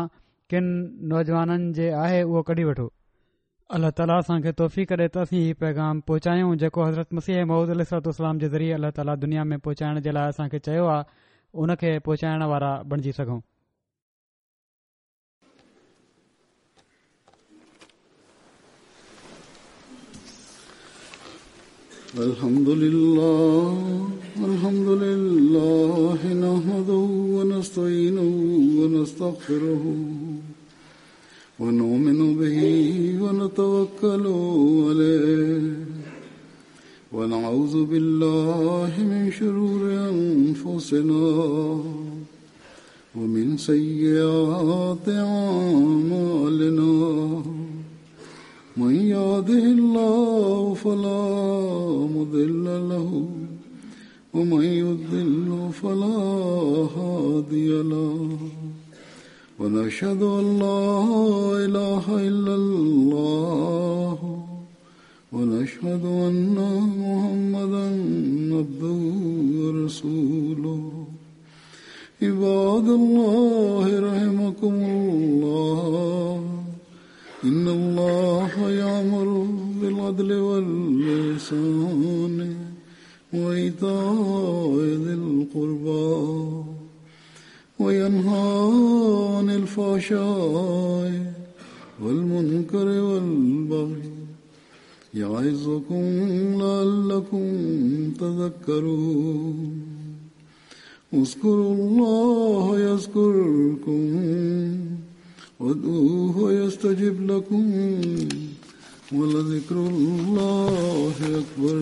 ڪن نوجوانن جي آهي، اهو ڪڍي وٺو. الله تعاليٰ اسان کي توفيق ڏي ته اسين هي پيغام پهچايون جيڪو حضرت مسيح موعود عليه الصلوة والسلام جي ذريعي الله تعاليٰ دنيا ۾ پهچائڻ جي لاء اسان کي چيو آهي، ان کي پهچائڻ وارا بڻجي سگهون. الحمد لله الحمد لله نحمده ونستعينه ونستغفره ونؤمن به ونتوكل عليه ونعوذ بالله من شرور أنفسنا ومن سيئات أعمالنا من يهده الله فلا مضل له ومن يضلل فلا هادي له ونشهد أن لا إله إلا الله ونشهد أن محمدا عبده ورسوله. عباد الله رحمكم الله، إن الله يأمر بالعدل والإحسان وإيتاء ذي القربى وينهى عن الفحشاء والمنكر والبغي يعظكم لعلكم تذكرون. اذكروا الله يذكركم وادعوه يستجب لكم ولذكر الله أكبر.